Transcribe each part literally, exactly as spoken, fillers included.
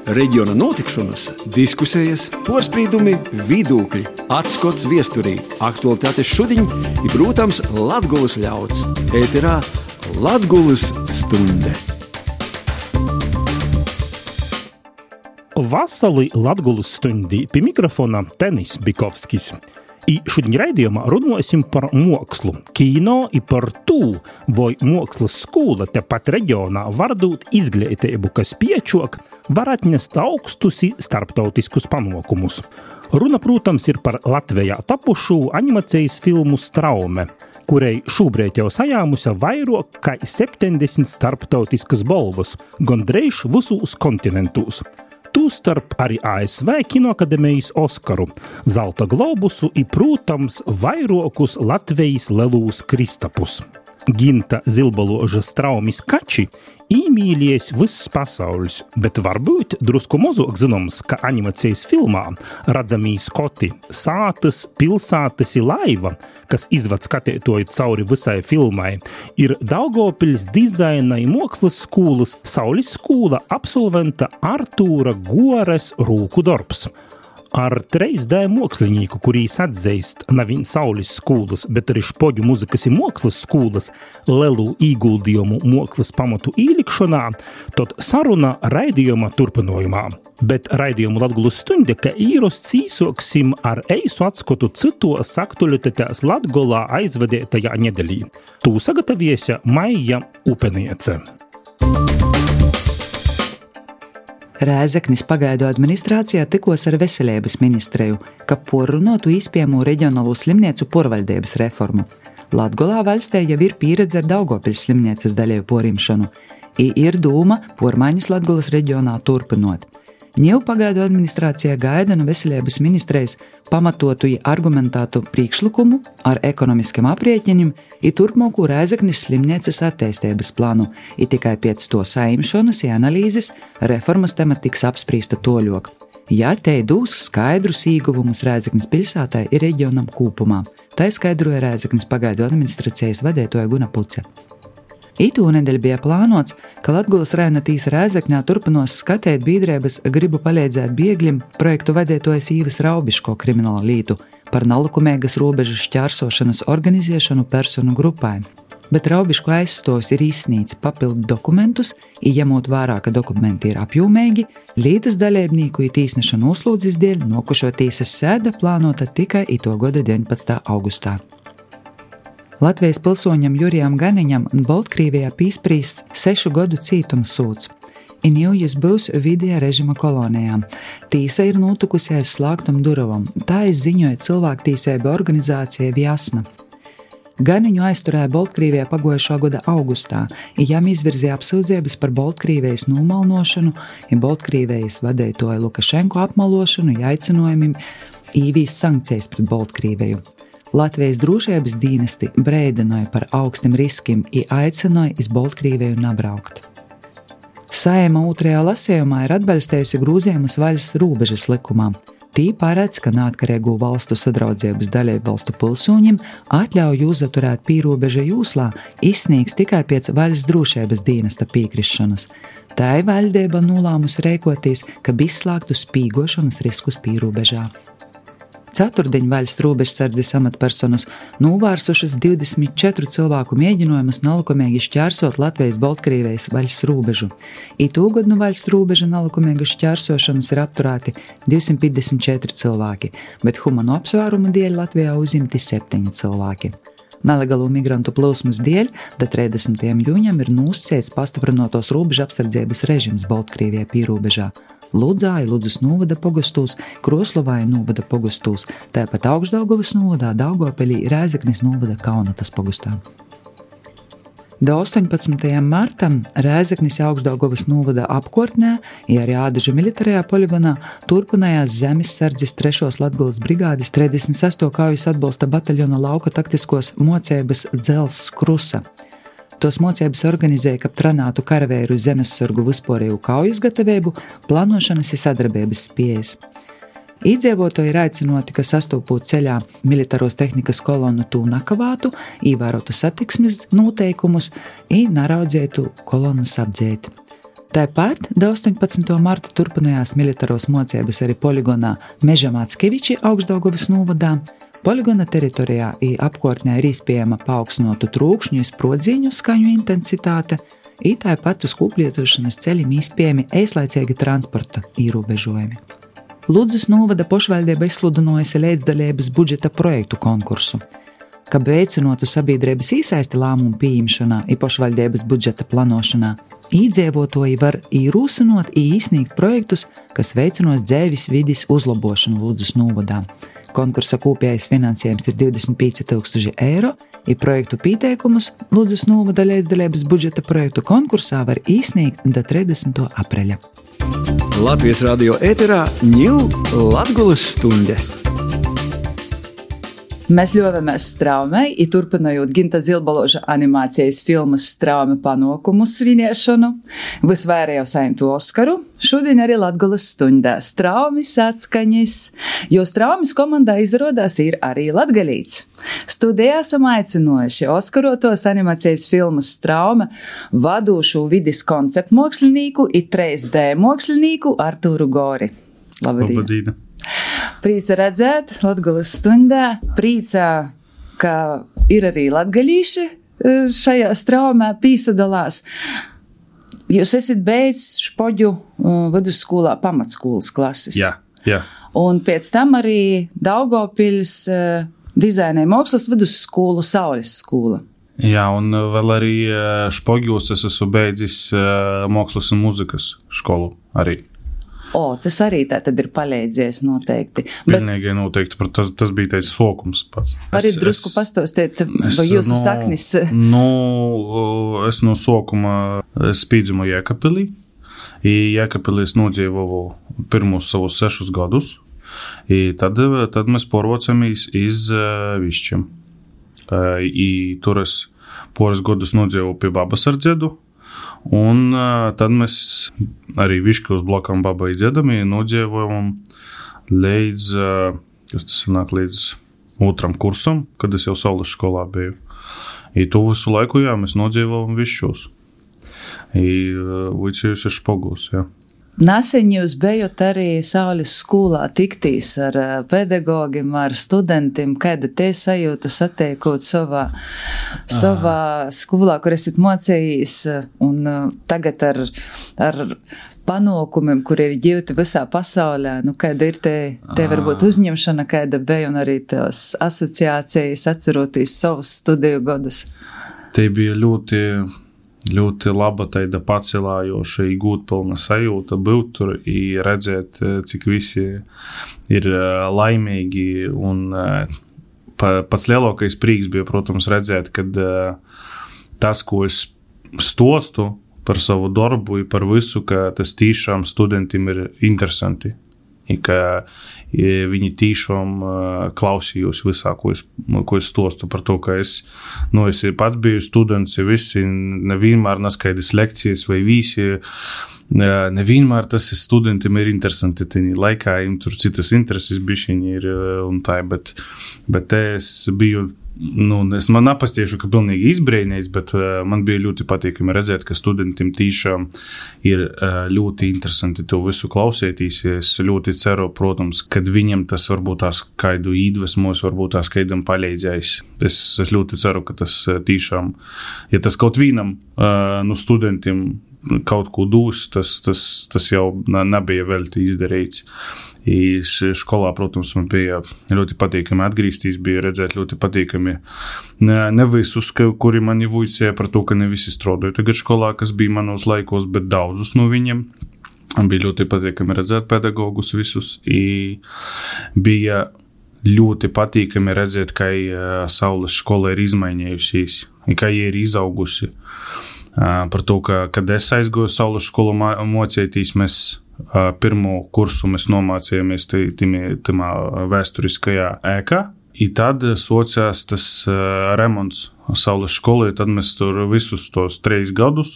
Reģiona notikšanas, diskusijas, porspīdumi, vidūkļi, atskots viesturī, aktualitātes šudiņ i, protams, Latgulas ļauds. Ēterā Latgulas stunde. Vasali Latgulas stundī pie mikrofona Tenis Bikovskis. I šodien raidījumā runāsim par mokslu, kino i par tū, vai mokslas skola tepat reģionā var dot izglītību, kas piečok, var atnest augstus i starptautiskus panākumus. Runa, protams, ir par Latvijā tapušu animācijas filmu Straume, kurai šobrīd jau sajāmusi vairāk kā septiņdesmit starptautiskas balvas, gandrīz visos kontinentos. Tūstarp arī A S V Kinoakademijas Oskaru, Zelta globusu i, protams, vairākus Latvijas lelūs kristapus. Ginta Zilbaloža Straumis kači īmīlies viss pasaules, bet varbūt drusku mazāk zināms, ka animācijas filmā redzamī skoti, sātas, pilsātas i laiva, kas izvad skatītoju cauri visai filmai, ir Daugavpils dizaina i mokslas skolas Saulis skola absolventa Artūra Gores rūku darbs. Ar trīs D mokslinīku, kurīs atzeist nevien Saulis skolas, bet arī Špoģu muzikas i mokslas skolas lelu īguldījumu mokslas pamatu īlikšanā, tad saruna raidījuma turpinojumā. Bet raidījumu Latgulas stunde, ka īrosts īsoksim ar eisu atskotu citos aktualitātēs Latgolā aizvadētajā nedelī. Tū sagataviesa Maija Upeniece. Rēzeknis pagaidu administrācijā tikos ar veselības ministreju, ka porrunotu īspējamo reģionālo slimnīcu porvaldības reformu. Latgolā valstī jau ir pieredze ar Daugavpils slimnīcas daļēju porimšanu, i ir dūma pormaiņas Latgolas reģionā turpinot. Ņeu pagaidu administrācijā gaida no veselības ministrejas pamatotu i argumentētu priekšlikumu ar ekonomiskiem aprēķiniem i turpmāko Rēzeknis slimnīcas attīstības plānu, i tikai pēc to saimšanas i analīzes reformas tema tiks apsprīsta toļok. Ja te dūs skaidrus īguvumus Rēzeknis pilsētai i reģionam kūpumā, tai skaidroja Rēzeknis pagaidu administrācijas vadētoja Guna Puce. Itū nedēļ bija plānots, ka Latgulas rajona tīsa Rēzekņā turpinos skatēt biedrības Gribu palīdzēt biegļiem projektu vadētojas Īvas Raubiško krimināla lītu par nelikumīgas robežas šķērsošanas organizēšanu personu grupai. Bet Raubiško aizstovs ir izsnīts papildu dokumentus, i ņemot vērā, ka dokumenti ir apjūmīgi, lītas dalībnieku i tīsnešanu uzlūdzis dēļ nokušo tīsas sēda plānota tikai ito goda deviņpadsmitā augustā. Latvijas pilsoņam Jurijam Ganiņam Baltkrievijā pīsprīsts sešu gadu cītums sūds. In jūjis būs vidējā režima kolonijām. Tīsa ir notikusi aiz slēgtum duravam, tā izziņoja cilvēktīsēba organizācija Vjasna. Ganiņu aizturēja Baltkrievijā pagojušā gada augustā, i jam izvirzīja apsūdzības par Baltkrievijas nomalnošanu, i Baltkrievijas vadētoja Lukašenko apmalošanu, i aicinojumiem īvīs sankcijas pret Baltkrieviju. Latvijas drošības dienesti brēdinoja par augstiem riskiem i aicinoja iz Baltkrieviju nabraukt. Saeima otrajā lasējumā ir atbalstējusi grūzījumus valsts robežas likumā. Tī paredz, ka neatkarīgo valstu sadraudzības dalību valstu pilsoņiem atļauj uzaturēt pīrobeža jūslā izsniegs tikai pēc valsts drošības dienesta piekrišanas. Tai valdība nolēmusi rēkoties, ka izslēgtu spīgošanas riskus pīrobežā. Ceturtdien valsts robežsardzes amatpersonas novērsušas divdesmit četru cilvēku mēģinājumus nelikumīgi šķērsot Latvijas-Baltkrievijas valsts robežu. I tūgad no valsts robeža nelikumīgas šķērsošanas ir apturēti divsimt piecdesmit četri cilvēki, bet humano apsvērumu dēļ Latvijā uzimti septiņi cilvēki. Nelegālo migrantu plūsmas dēļ da trīsdesmitajam jūņam ir nūscēts pastiprinotos robežu apsardzības režims Baltkrievijā pīrobežā. Ludzā i Ludzas novada pogastūs, Kroslovā i novada pogastūs, tāpat Augšdaugavas novadā, Daugavpilī, Rēzeknis novada Kaunatas pogastā. Da astoņpadsmitajam martam Rēzeknis Augšdaugavas novada apkortnē, i arī Ādaža militārajā poligonā turpinājās zemessardzes trešos Latgulas brigādes trīsdesmit sesto kaujas atbalsta bataljona lauka taktiskos mocības Dzels Krusa. Tos mocības organizēja, kap trenātu karavēru zemessargu vispārēju kaujas gatavību, plānošanas i sadarbības spējas. Iedzīvotāji ir aicinoti, ka sastopot ceļā militāros tehnikas kolonu tū nakavātu, ievērotu satiksmes noteikumus i naraudzētu kolonas apdzēt. Tāpat astoņpadsmitā marta turpinājās militāros mocības arī poligonā Meža Mackeviči Augstdaugavas novadā. Poligona teritorijā i apkārtnē ir izpējama paaugstinotu trūkšņu i sprodzīņu skaņu intensitāte, i tāpat uz kūplietošanas ceļiem izpējami eislaicīgi transporta ierobežojumi. Ludzas novada pošvaldība izsludinājusi līdzdalības budžeta projektu konkursu. Kad veicinotu sabiedrības īsaisti lēmumu pieņemšanā i pošvaldības budžeta planošanā, iedzīvotāji var īrūsinot i īsniegt projektus, kas veicinos dzēvis vidis uzlabošanu Ludzas novadā. Konkursa kopējais finansējums ir divdesmit pieci tūkstoši eiro, i projektu pieteikumus Ludzas novada līdzdalības budžeta projektu konkursā var īsniegt da trīsdesmitā apreļa. Latvijas radio ēterā ņū Latgolas stunde. Mēs ļovamies Straumei, i turpinājot Ginta Zilbaloža animācijas filmas Straume panākumu sviniešanu, visvairāk saimtu Oskaru, šodien arī Latgolas stundā Straumis atskaņas, jo Straumis komandā izrādās ir arī latgalīts. Studijā esam aicinājuši Oskarotos animācijas filmas Straume vadošo vidis konceptu mākslinieku i trīs D mākslinieku Artūru Gori. Labdien! Labdien! Prīca redzēt Latgolas stundā, prīca, ka ir arī latgalīši šajā Straumē pīsadalās. Jūs esat beidzis Špoģu vidusskolā pamatskolas klases. Jā, jā. Un pēc tam arī Daugavpils dizaina mākslas vidusskolu Saules skola. Jā, un vēl arī Špoģos es esmu beidzis mākslas un muzikas skolu arī. O, tas arī tā tad ir palīdzies noteikti. Pilnīgi Bet, noteikti, tas, tas bija teicis sokums pats. Arī es, drusku es, pastostiet, vai jūsu no, saknis? Nu, es no sokuma spīdzumu Jēkabpilī. I Jēkabpilī es nodzīvoju pirmos savus sešus gadus. I tad, tad mēs porvocamies iz uh, Višķiem. Uh, I tur es poras gadus nodzīvoju pie babas ar dzedu. Un uh, tad mēs arī Viškos blokam babai dziedami nodzīvojam līdz, uh, kas tas sanāk, līdz otram kursam, kad es jau Saules skolā biju. I to visu laiku, jā, mēs nodzīvojam Viškos. I uh, vicējus ir Špogos, jā. Nesen jūs bijat arī Saules skolā tiktīs ar pedagogiem, ar studentiem, kāda te sajūta satiekot savā, savā skolā, kur esat mocējis, un tagad ar, ar panākumiem, kur ir ģivti visā pasaulē, nu kāda ir te, te varbūt uzņemšana, kāda bija, un arī tās asociācijas atceroties savus studiju gadus? Te bija ļoti... ļoti laba taida pacelājoša i gūtpilna sajūta būt tur i redzēt, cik visi ir laimīgi, un pa, pats lielākais prīks bija, protams, redzēt, kad tas, ko es stostu par savu darbu i par visu, ka tas tīšām studentiem ir interesanti. I ka viņi tīšām klausījos visā, ko es, ko es stostu par to, ka es, nu, es pats biju students, visi nevienmēr naskaidrs lekcijas vai visi, nevienmēr tas studentiem ir interesanti, tini laikā, им tur citas intereses bišķiņi ir un tā, bet, bet es biju, nu, es man napastiešu, ka pilnīgi izbrēnīts, bet uh, man bija ļoti patīkami redzēt, ka studentiem tīšām ir uh, ļoti interesanti to visu klausētīs. Es ļoti ceru, protams, kad viņam tas varbūt tās kaidu īdvesmos, varbūt tās kaidam palīdzējis. Es, es ļoti ceru, ka tas uh, tīšām, ja tas kaut vienam uh, no studentiem kaut ko dūs, tas, tas, tas jau nebija vēl izdarīts. I skolā, protams, man bija ļoti patīkami atgriezties, bija redzēt ļoti patīkami ne, ne visus, kuri mani vuicēja par to, ka ne visi strādāja tagad skolā, kas bija manos laikos, bet daudzus no viņiem. Bija ļoti patīkami redzēt pedagogus visus. I bija ļoti patīkami redzēt, ka Saules skola ir izmainījusies, ka jie ir izaugusi. Par to, ka, kad es aizgoju Saules skolu mocētīs, mēs pirmo kursu mēs nomācījāmies timā vēsturiskajā ēkā, i tad socās tas remonts Saules skolai, tad mēs tur visus tos trīs gadus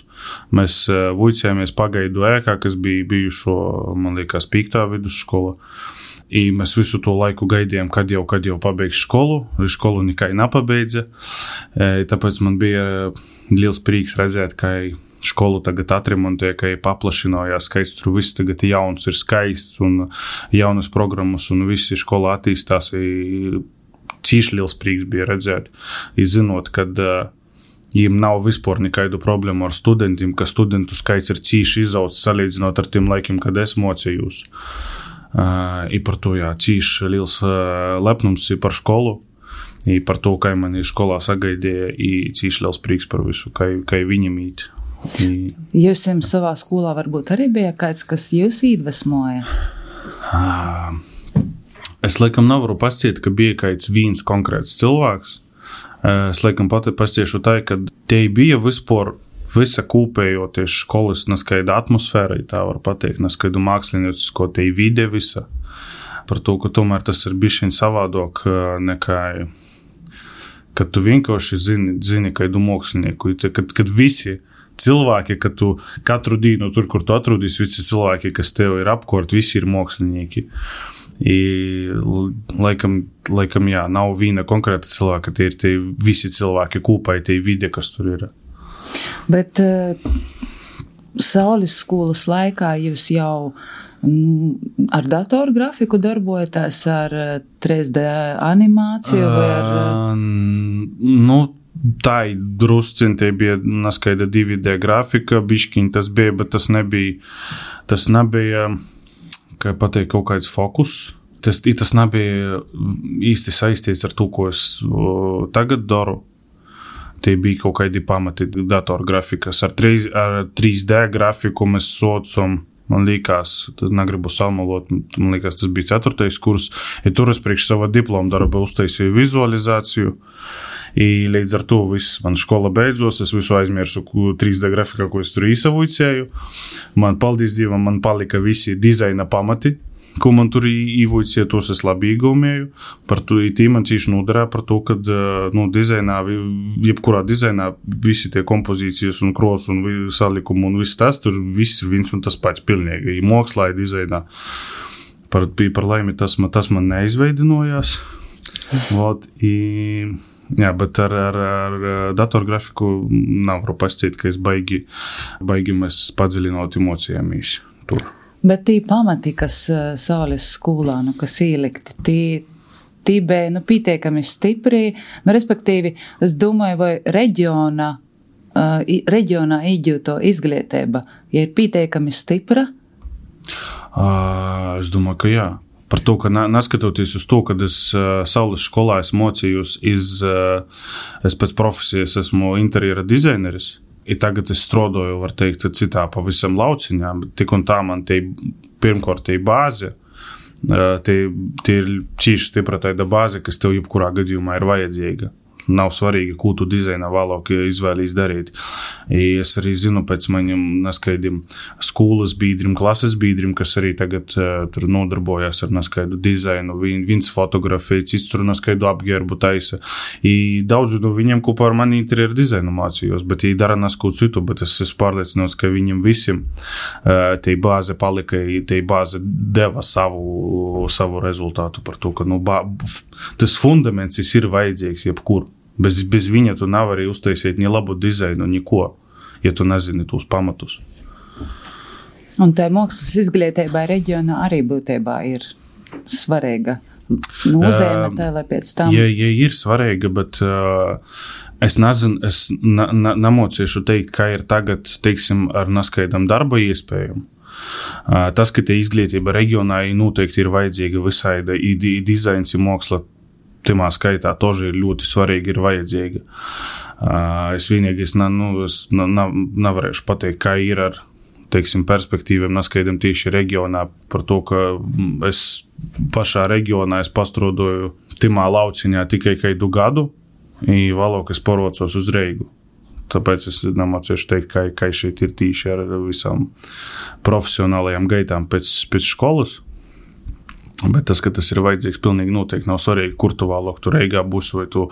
mēs vuicējāmies pagaidu ēkā, kas bija bijušo, man liekas, pīktā vidusskola. I mēs visu to laiku gaidījām, kad jau, kad jau pabeigs skolu, skolu nekai napabeidza, tāpēc man bija liels prīks redzēt, ka Školu tagad atremontēja, ka paplašinājās skaits, tur viss tagad jauns ir skaists un jaunas programmas un visi škola attīstās. Cīši liels prieks bija redzēt, izzinot, kad viņiem nav vispār nekādu problēmu ar studentiem, ka studentu skaits ir cīši izaugs salīdzinot ar tiem laikiem, kad es mocījos. I par to, jā, cīši liels lepnums ir par školu. I par to, kā mani skolā sagaidīja, i cīši liels prieks par visu, kā, kā viņam īt. I... Jūs jums savā skolā varbūt arī bija kāds, kas jūs iedvesmoja? Uh, es laikam nevaru pasciet, ka bija kāds viens konkrēts cilvēks. Uh, es laikam pati pasciešu tā, ka te bija vispār visa kūpējoties školas neskaida atmosfēra, tā var pateikt, neskaidu māksliniecisko te vide visa. Par to, ka tomēr tas ir bišķiņ savādāk nekā, kad tu vienkārši zini, zini kādu mākslinieku, kad, kad visi cilvēki, kad tu katru dienu tur, kur tu atrūdīs, visi cilvēki, kas tev ir apkort, visi ir mākslinieki. I, laikam, laikam, jā, nav viena konkrēta cilvēka, tie ir tie visi cilvēki kūpai, tie vide, kas tur ir. Bet uh, Saules skolas laikā jūs jau nu, ar datoru grafiku darbojaties, ar trīs D animāciju vai ar... Uh, nu, tā ir drusciņ, tie bija neskaida divi D grafika, biškiņ tas bija, bet tas nebija, tas nebija, kā pateikt, kaut kāds fokus. Tas, tas nebija īsti saistīts ar to, ko es o, tagad daru. Tie bija kaut kādi pamati datora grafikas. Ar, trīs, ar trīs D grafiku mēs socam, man liekas, tad negribu salmalot, man liekas, tas bija ceturtais kurs, ja tur es priekš sava diploma darba uztaisīju vizualizāciju, I līdz ar to viss man škola beidzos, es visu aizmirsu trīs D grafikā, ko es tur īsavuicēju. Man, paldies Dievam, man palika visi dizaina pamati, ko man tur īvuicēju, tos es labi īgaumēju. Par to tī man cīši noderē par to, kad nu, dizainā, jebkurā dizainā visi tie kompozīcijas un kros un salikumu un viss tas, tur viss ir viens un tas pats pilnīgi. I mokslā, I dizainā. Par, par laimi tas man, tas man neizveidinojās. Vot, I... Jā, bet ar, ar, ar datorgrafiku nav varu pasciet, ka es baigi, baigi mēs padziļinot emocijāmies tur. Bet tī pamati, kas Saules skolā, nu, kas ielikti, tī, tī bija, nu, pīteikami stipri, nu, respektīvi, es domāju, vai reģiona, uh, reģionā īģūto izglītība, ja ir pīteikami stipra? Uh, es domāju, ka jā. Par to, ka neskatoties uz to, kad es uh, Saules skolā esmu mocījus, iz, uh, es pēc profesijas esmu interjera dizaineris, I tagad es strodoju, var teikt, citā pavisam lauciņā, bet tik un tā man tie, pirmkārt, tie bāze, uh, tie, tie ir cīši stipra taida bāze, kas tev jebkurā gadījumā ir vajadzīga. Nav svarīgi, ko tu dizainā vēlāk izvēlīs darīt. I es arī zinu pēc maņiem neskaidiem skolas bīdrim, klases bīdrim, kas arī tagad uh, tur nodarbojas ar neskaidu dizainu. Vien, viens fotografēja, cits tur neskaidu apģērbu taisa. I daudz no viņiem kopā ar mani interjeru dizainu mācījos, bet I dara nesko citu, bet es esmu pārliecināts, ka viņiem visiem uh, tie bāze palika, tie bāze deva savu, savu rezultātu par to, ka nu, bā, tas fundaments ir vajadzīgs jebkur. Bez, bez viņa tu nav arī uztaisīt ni labu dizainu, neko, ja tu nezini tos pamatus. Un tā mākslas izglītībai reģionā arī būtībā ir svarīga nozīme, tā, lai pēc tam... Ja, ja ir svarīga, bet uh, es nezinu, es na, na, namociešu teikt, kā ir tagad, teiksim, ar neskaidam darba iespējām. Uh, tas, ka te izglītība reģionā noteikti ir vajadzīga visaida, I, I dizains, I māksla, timā skaitā toži ir ļoti svarīgi, ir vajadzīga. Uh, es vienīgi es, na, nu, es na, na, nevarēšu pateikt, kā ir ar, teiksim, perspektīviem neskaidam tieši reģionā par to, ka es pašā reģionā es pastrodoju timā lauciņā tikai kādu gadu, I vēlāk es porocos uz Reigu. Tāpēc es nemācīšu teikt, kā, kā šeit ir tīši ar visām profesionālajām gaitām pēc, pēc školas. Bet tas, ka tas ir vajadzīgs, pilnīgi noteikti nav svarīgi, kur tu vēlāk tu Reigā būsi, vai tu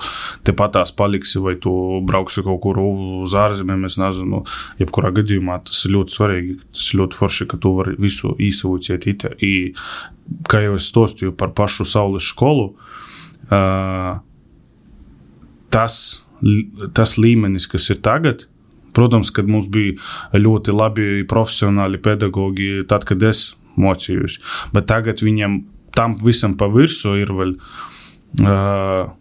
tepatās paliksi, vai tu brauksi kaut kur uz ārzemēm, es nezinu, jebkurā gadījumā tas ir ļoti svarīgi, tas ir ļoti forši, ka tu vari visu īsavuciet ite. I, kā jau es stostīju par pašu Saules skolu, uh, tas, tas līmenis, kas ir tagad, Protams, kad mums bija ļoti labi profesionāli pedagogi tad, kad es mocījos, bet tagad viņam tam visam pa virsu ir vēl, uh,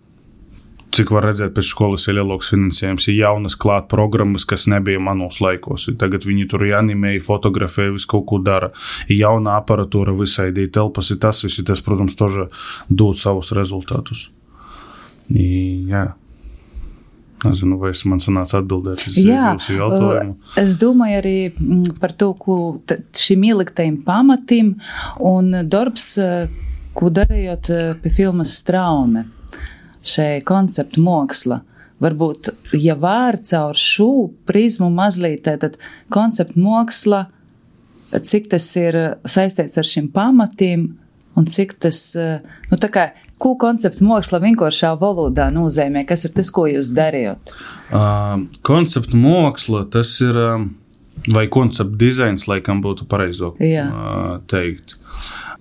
cik var redzēt, pēc skolas ir lielāks finansējums, ir jaunas klāt programmas, kas nebija manos laikos. Tagad viņi tur animēja, fotografēja, visu kaut ko dara. Ir jauna aparatūra visai, ir telpas, ir tas, visi tas, protams, toža dod savus rezultātus. I, jā. Nezinu, vai es man sanāca atbildēt uz jūsu jautājumu. Es domāju arī par to, ko šim ieliktajiem pamatim un darbs, ko darījot pie filmas Straume, šai konceptu māksla. Varbūt, ja var caur šo prizmu mazliet, tad konceptu māksla, cik tas ir saistīts ar šiem pamatiem un cik tas, nu tā kā, ko konceptu māksla vienkāršā valodā nozīmē? Kas ir tas, ko jūs darījat? Uh, konceptu māksla, tas ir, um, vai konceptu dizains, laikam būtu pareizo uh, teikt.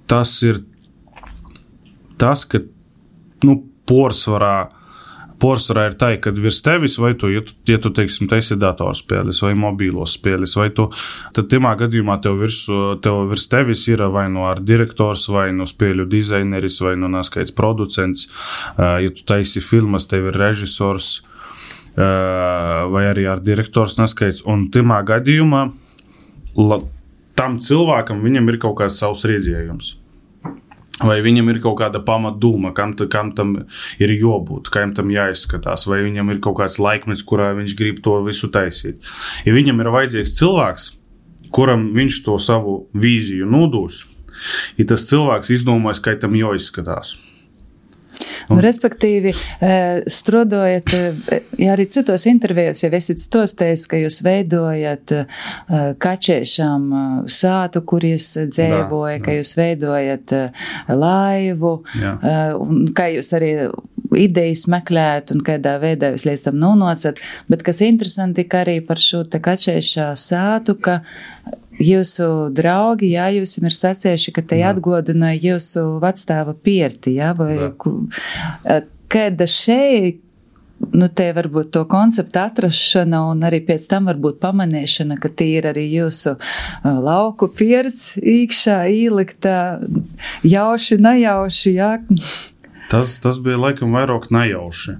Tas ir tas, ka, nu, porsvarā, porsvarā ir tā, kad virs tevis, vai tu, ja tu, ja tu teiksim, taisi datorspēles vai mobīlos spēles, vai tu, tad timā gadījumā tev virs, tev virs tevis ir vai no ar direktors, vai no spēļu dizaineris, vai no naskaits producents, ja tu taisi filmas, tev ir režisors, vai arī ar direktors naskaits, un timā gadījumā la, tam cilvēkam viņam ir kaut kāds savs redzējums. Vai viņam ir kaut kāda pamatdūma, kam, kam tam ir jābūt, kam tam jāizskatās, vai viņam ir kaut kāds laikmets, kurā viņš grib to visu taisīt. Ja viņam ir vajadzīgs cilvēks, kuram viņš to savu vīziju nodūs, ja tas cilvēks izdomājas, kā tam jāizskatās. Nu, respektīvi, strādājat, ja arī citos intervijos, ja esat stostējis, ka jūs veidojat kačēšām sātu, kur jūs dzēvoja, ka jūs veidojat laivu, jā. Un kā jūs arī idejas meklēt un kādā veidā jūs līdz tam nonācat, bet kas interesanti, ka arī par šo te kačēšā sātu, ka jūsu draugi, jā, jūs ir sacējuši, ka te atgodina jūsu vecstāva pierti, jā, vai kāda šeit, nu, te varbūt to konceptu atrašana un arī pēc tam varbūt pamanīšana, ka tie ir arī jūsu lauku pierts īkšā īliktā, jauši, nejauši, jā. Tas, tas bija laikam vairāk nejauši.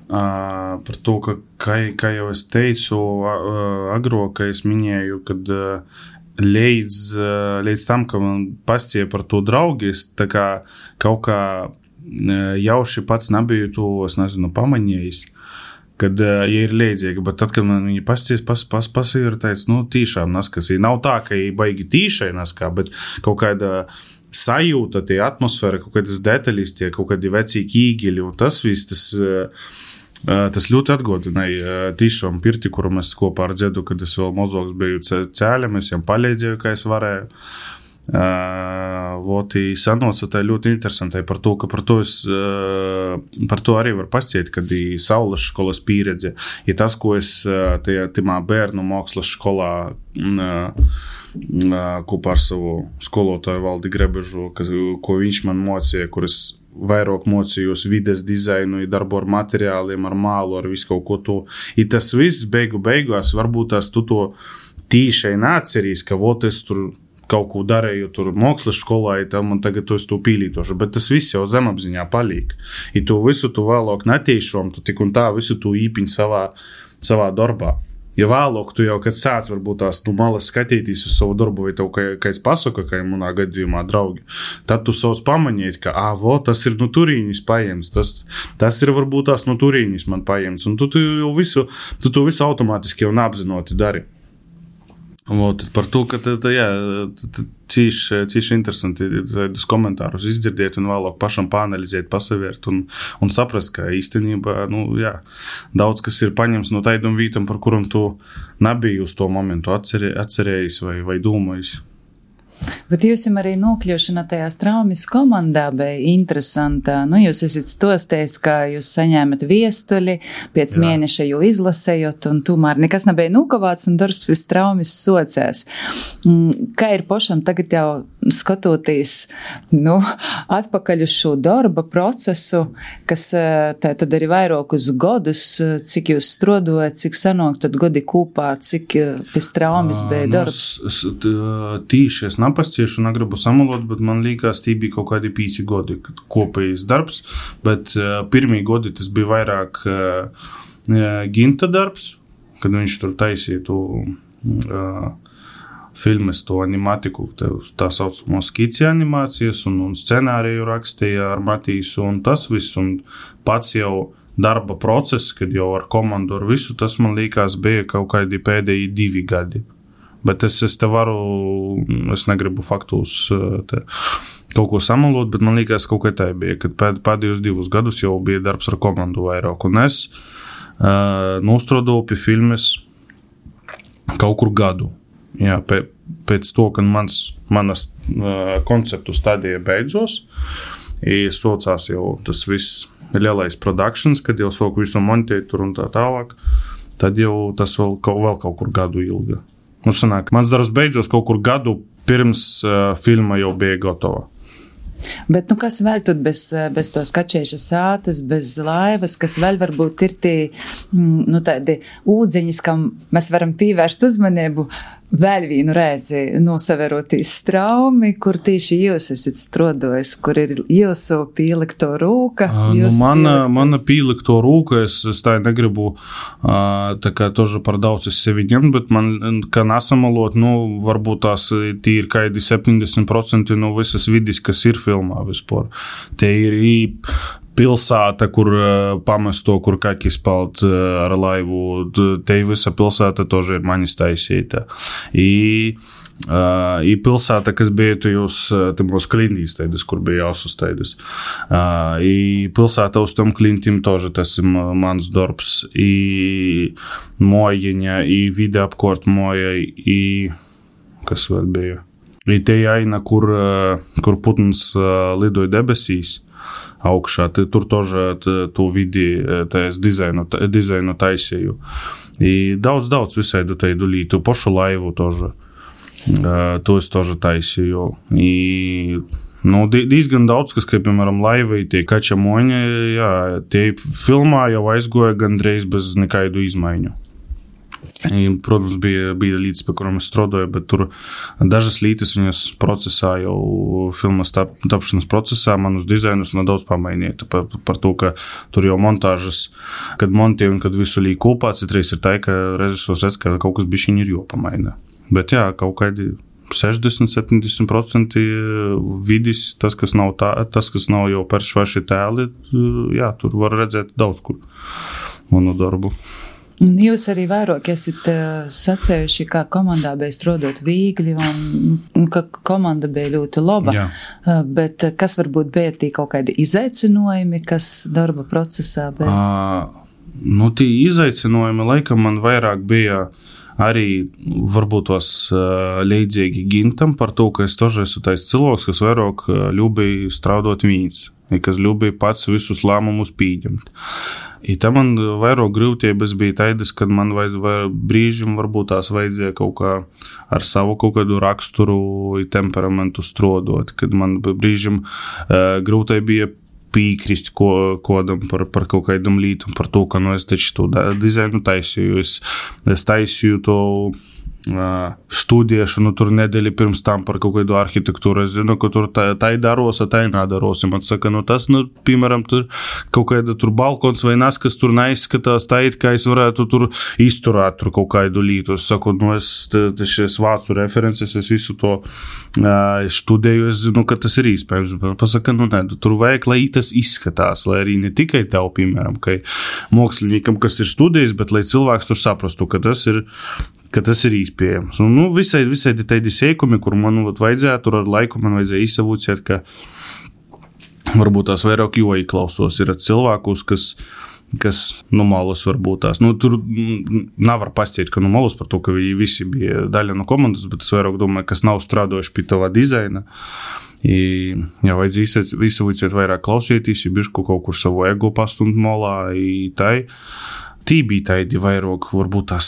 Uh, par to, ka, kā, kā jau es teicu, uh, agro, ka es minēju, kad uh, līdz, uh, līdz tam, ka man pastīja par to draugi, es tā kā kaut kā uh, jauši pats nebiju to, es nezinu, pamanījis, kad, uh, ja ir līdzīgi, bet tad, kad man viņi pastīja, pas, pas, pas ir teicis, nu, tīšām naskasī. Nav tā, ka baigi tīšai naskā, bet kaut kāda sajūta, tie atmosfēra, kaut kādas detaļas, tie kaut kādi vecīgi īgiļi, un tas viss, tas... Uh, Tas ļoti atgodināja tīšām pirti, kuru mēs kopā ar Dzedu, kad es vēl mozoks biju cēļam, es jām palīdzēju, kā es varēju. Uh, voti sanoca tā ļoti interesantai par to, ka par to, es, uh, par to arī var pastiet, kad ir saules školas pieredze. Ir tas, ko es uh, tajā timā bērnu mākslas skolā uh, kopā ar savu skolotāju Valdi Grebežu, kas, ko viņš man mocīja, kur es vairāk mocījos vides dizainu, darbu ar materiāliem, ar mālu, ar visu kaut ko to. I tas viss beigu beigās, varbūt tās tu to tīšai neatcerīs, ka vot es tur kaut ko darēju tur mākslas skolā, ja man tagad to es to pīlītošu, bet tas viss jau zemapziņā palīk. I to visu tu vēlāk netīšom, tu tik un tā visu tu īpiņ savā, savā darbā. Ja vēlāk tu jau, kad sāc varbūt tās nu, malas skatītīs uz savu darbu, vai tev kā, kā es pasaka, kā manā gadījumā draugi, tad tu sauc pamanīt, ka, ā, vo, tas ir no turīnis paiems, tas, tas ir varbūt tās no turīnis man paiems, un tu, tu jau visu, tu to visu automātiski jau neapzinoti dari. Vot, par to, ka tā, tā, jā, cīši, cīši interesanti tādus komentārus izdzirdiet un vēlāk pašam pāanalizēt, pasavērt un, un saprast, ka īstenībā, nu, jā, daudz kas ir paņems no taidam vītam, par kuram tu nebija uz to momentu atcerē, atcerējis vai, vai domājis. Bet jūs arī nokļūšana tajā Straumes komandā bija interesanta. Nu, jūs esat stostējis, ka jūs saņēmat viestuļi, pēc Jā. mēneša jau izlasējot, un tomēr nekas nebija nokavāts, un darbs pie Straumes socēs. Kā ir pošam tagad jau skatoties, nu, atpakaļ uz šo darba procesu, kas tā tad arī vairākus godus, cik jūs strodojat, cik sanāk tad godi kūpā, cik pie Straumes bija darbs? Tīši es napasciešu, negribu samalot, bet man liekas, tī bija kaut kādi pīci godi kopējis darbs, bet uh, pirmī godi tas bija vairāk uh, Ginta darbs, kad viņš tur taisīja to uh, filmes, to animatiku, tā, tā saucamo skici animācijas un, un scenāriju rakstīja ar Matīsu un tas viss, un pats jau darba process, kad jau ar komandu ar visu, tas man liekas bija kaut kādi pēdējie divi gadi. Bet es, es te varu, es negribu faktus te kaut ko samalot, bet man liekas, kaut kā tā bija, kad pēd, pēdējos divus gadus jau bija darbs ar komandu vairāk. Un es uh, nostrodoju pie filmes kaut kur gadu. Jā, pēc, pēc to, kad mans, manas uh, konceptu stadija beidzos, i socās jau tas viss lielais productions, kad jau soku visu montēt tur un tā tālāk, tad jau tas vēl, vēl kaut kur gadu ilga. Nu, sanāk, mans darbs beidzos kaut kur gadu pirms uh, filma jau bija gatava. Bet, nu, kas vēl tad bez, bez tos kačēšas sātas, bez laivas, kas vēl varbūt ir tie, nu, tādi ūdzeņas, kam mēs varam pievērst uzmanību vēl vienu reizi nosaverotīs Straumi, kur tieši jūs esat strodojis, kur ir jūsu pielikto rūka? Nu, mana, mana pielikto rūka, es, es tā negribu tā kā toži par daudz es sevi ņemt, bet man, kā nesamalot, nu, varbūt tās tī ir kādi septiņdesmit procenti no visas vidis, kas ir filmā vispār. Te ir pilsēta, kur pamesto, kur kakis palt ar laivu, te visa pilsēta toži ir manis taisīta. I, uh, i pilsēta, kas bija tajos, tajos klintīs taidas, kur bija jāsus taidas. Uh, I pilsēta uz tom klintim toži tas ir mans darbs. I mojiņa, i vide apkort moja, i kas vēl bija. I te aina, kur, kur putns lidoja debesīs augšā, tur toži to vidi, tās dizainu, dizainu taisīju. I daudz, daudz visaidu teidu lītu, pošu laivu toži, to es toži taisīju. I, nu, diezgan daudz, kas, kā, piemēram, laivai, tie kačamoņi, jā, tie filmā jau aizgoja gandreiz bez nekaidu izmaiņu. I, protams, bija, bija līdz, pie kuram es strodoju, bet tur dažas lītas viņas procesā, jau filmas tap, tapšanas procesā manus dizainus nedaudz pamainīja par, par to, ka tur jau montāžas, kad montēju un kad visu līk kopā, citreiz ir tā, ka režisors redz, ka kaut kas bišķiņ ir jopamaina. Bet jā, kaut kādi sešdesmit līdz septiņdesmit procenti vidis, tas, kas nav, tā, tas, kas nav jau peršvaši tēli, jā, tur var redzēt daudz kur manu darbu. Jūs arī vairāk esat uh, sacējuši, kā komandā bija strodot viegli un, un ka komanda bija ļoti laba, uh, bet kas varbūt bija tī kaut kādi izaicinojumi, kas darba procesā bija? Uh, nu, tī izaicinojumi laikam man vairāk bija arī varbūt tos uh, leidzīgi Gintam par to, ka es toži esmu tais cilvēks, kas vairāk uh, ļubēja straudot vīns, kas ļubēja pats visus lēmumus pīģemt. I tam man vairāk grūtības bija taidas, kad man vajad, vai, brīžim varbūt tās vajadzēja kaut kā ar savu kaut kādu raksturu i temperamentu strodot, kad man brīžim uh, grūtai bija pīkrist ko, kodam par, par kaut kādam lītum, par to, ka nu es taču to dizainu taisīju, es, es taisīju to uh, studiešu, nu tur nedēļi pirms tam par kaut kādu arhitektūru, es zinu, ka tur tā, tā daros, tā nedaros, man saka, nu tas, nu, piemēram, tur kaut kāda tur balkons vai nas, kas tur neizskatās tā it, kā es varētu tur izturēt tur kaut kādu lītu, es saku, nu es, es vācu references, es visu to uh, studēju, es zinu, ka tas ir īspējams, pasaka, nu ne, tur vajag, lai tas izskatās, lai arī ne tikai tev, piemēram, ka māksliniekam, kas ir studējis, bet lai cilvēks tur saprastu, ka tas ir ka tas ir īspējams. Un, nu, visai, visai tādi sēkumi, kur man vat, vajadzēja, tur ar laiku man vajadzēja izsavūciet, ka varbūt tās vairāk joji klausos. Ir cilvēkus, kas kas nu malas varbūt tās. Nu, tur nevar pastiet, ka nu malas par to, ka viņi visi bija daļa no komandas, bet es vairāk domāju, kas nav strādojuši pie tava dizaina. I, jā, vajadzīs visu vajadzēt vairāk klausieties, ja bišku kaut kur savu ego pastumt malā, i tai. Tī bija taidi vairāk, varbūt tās,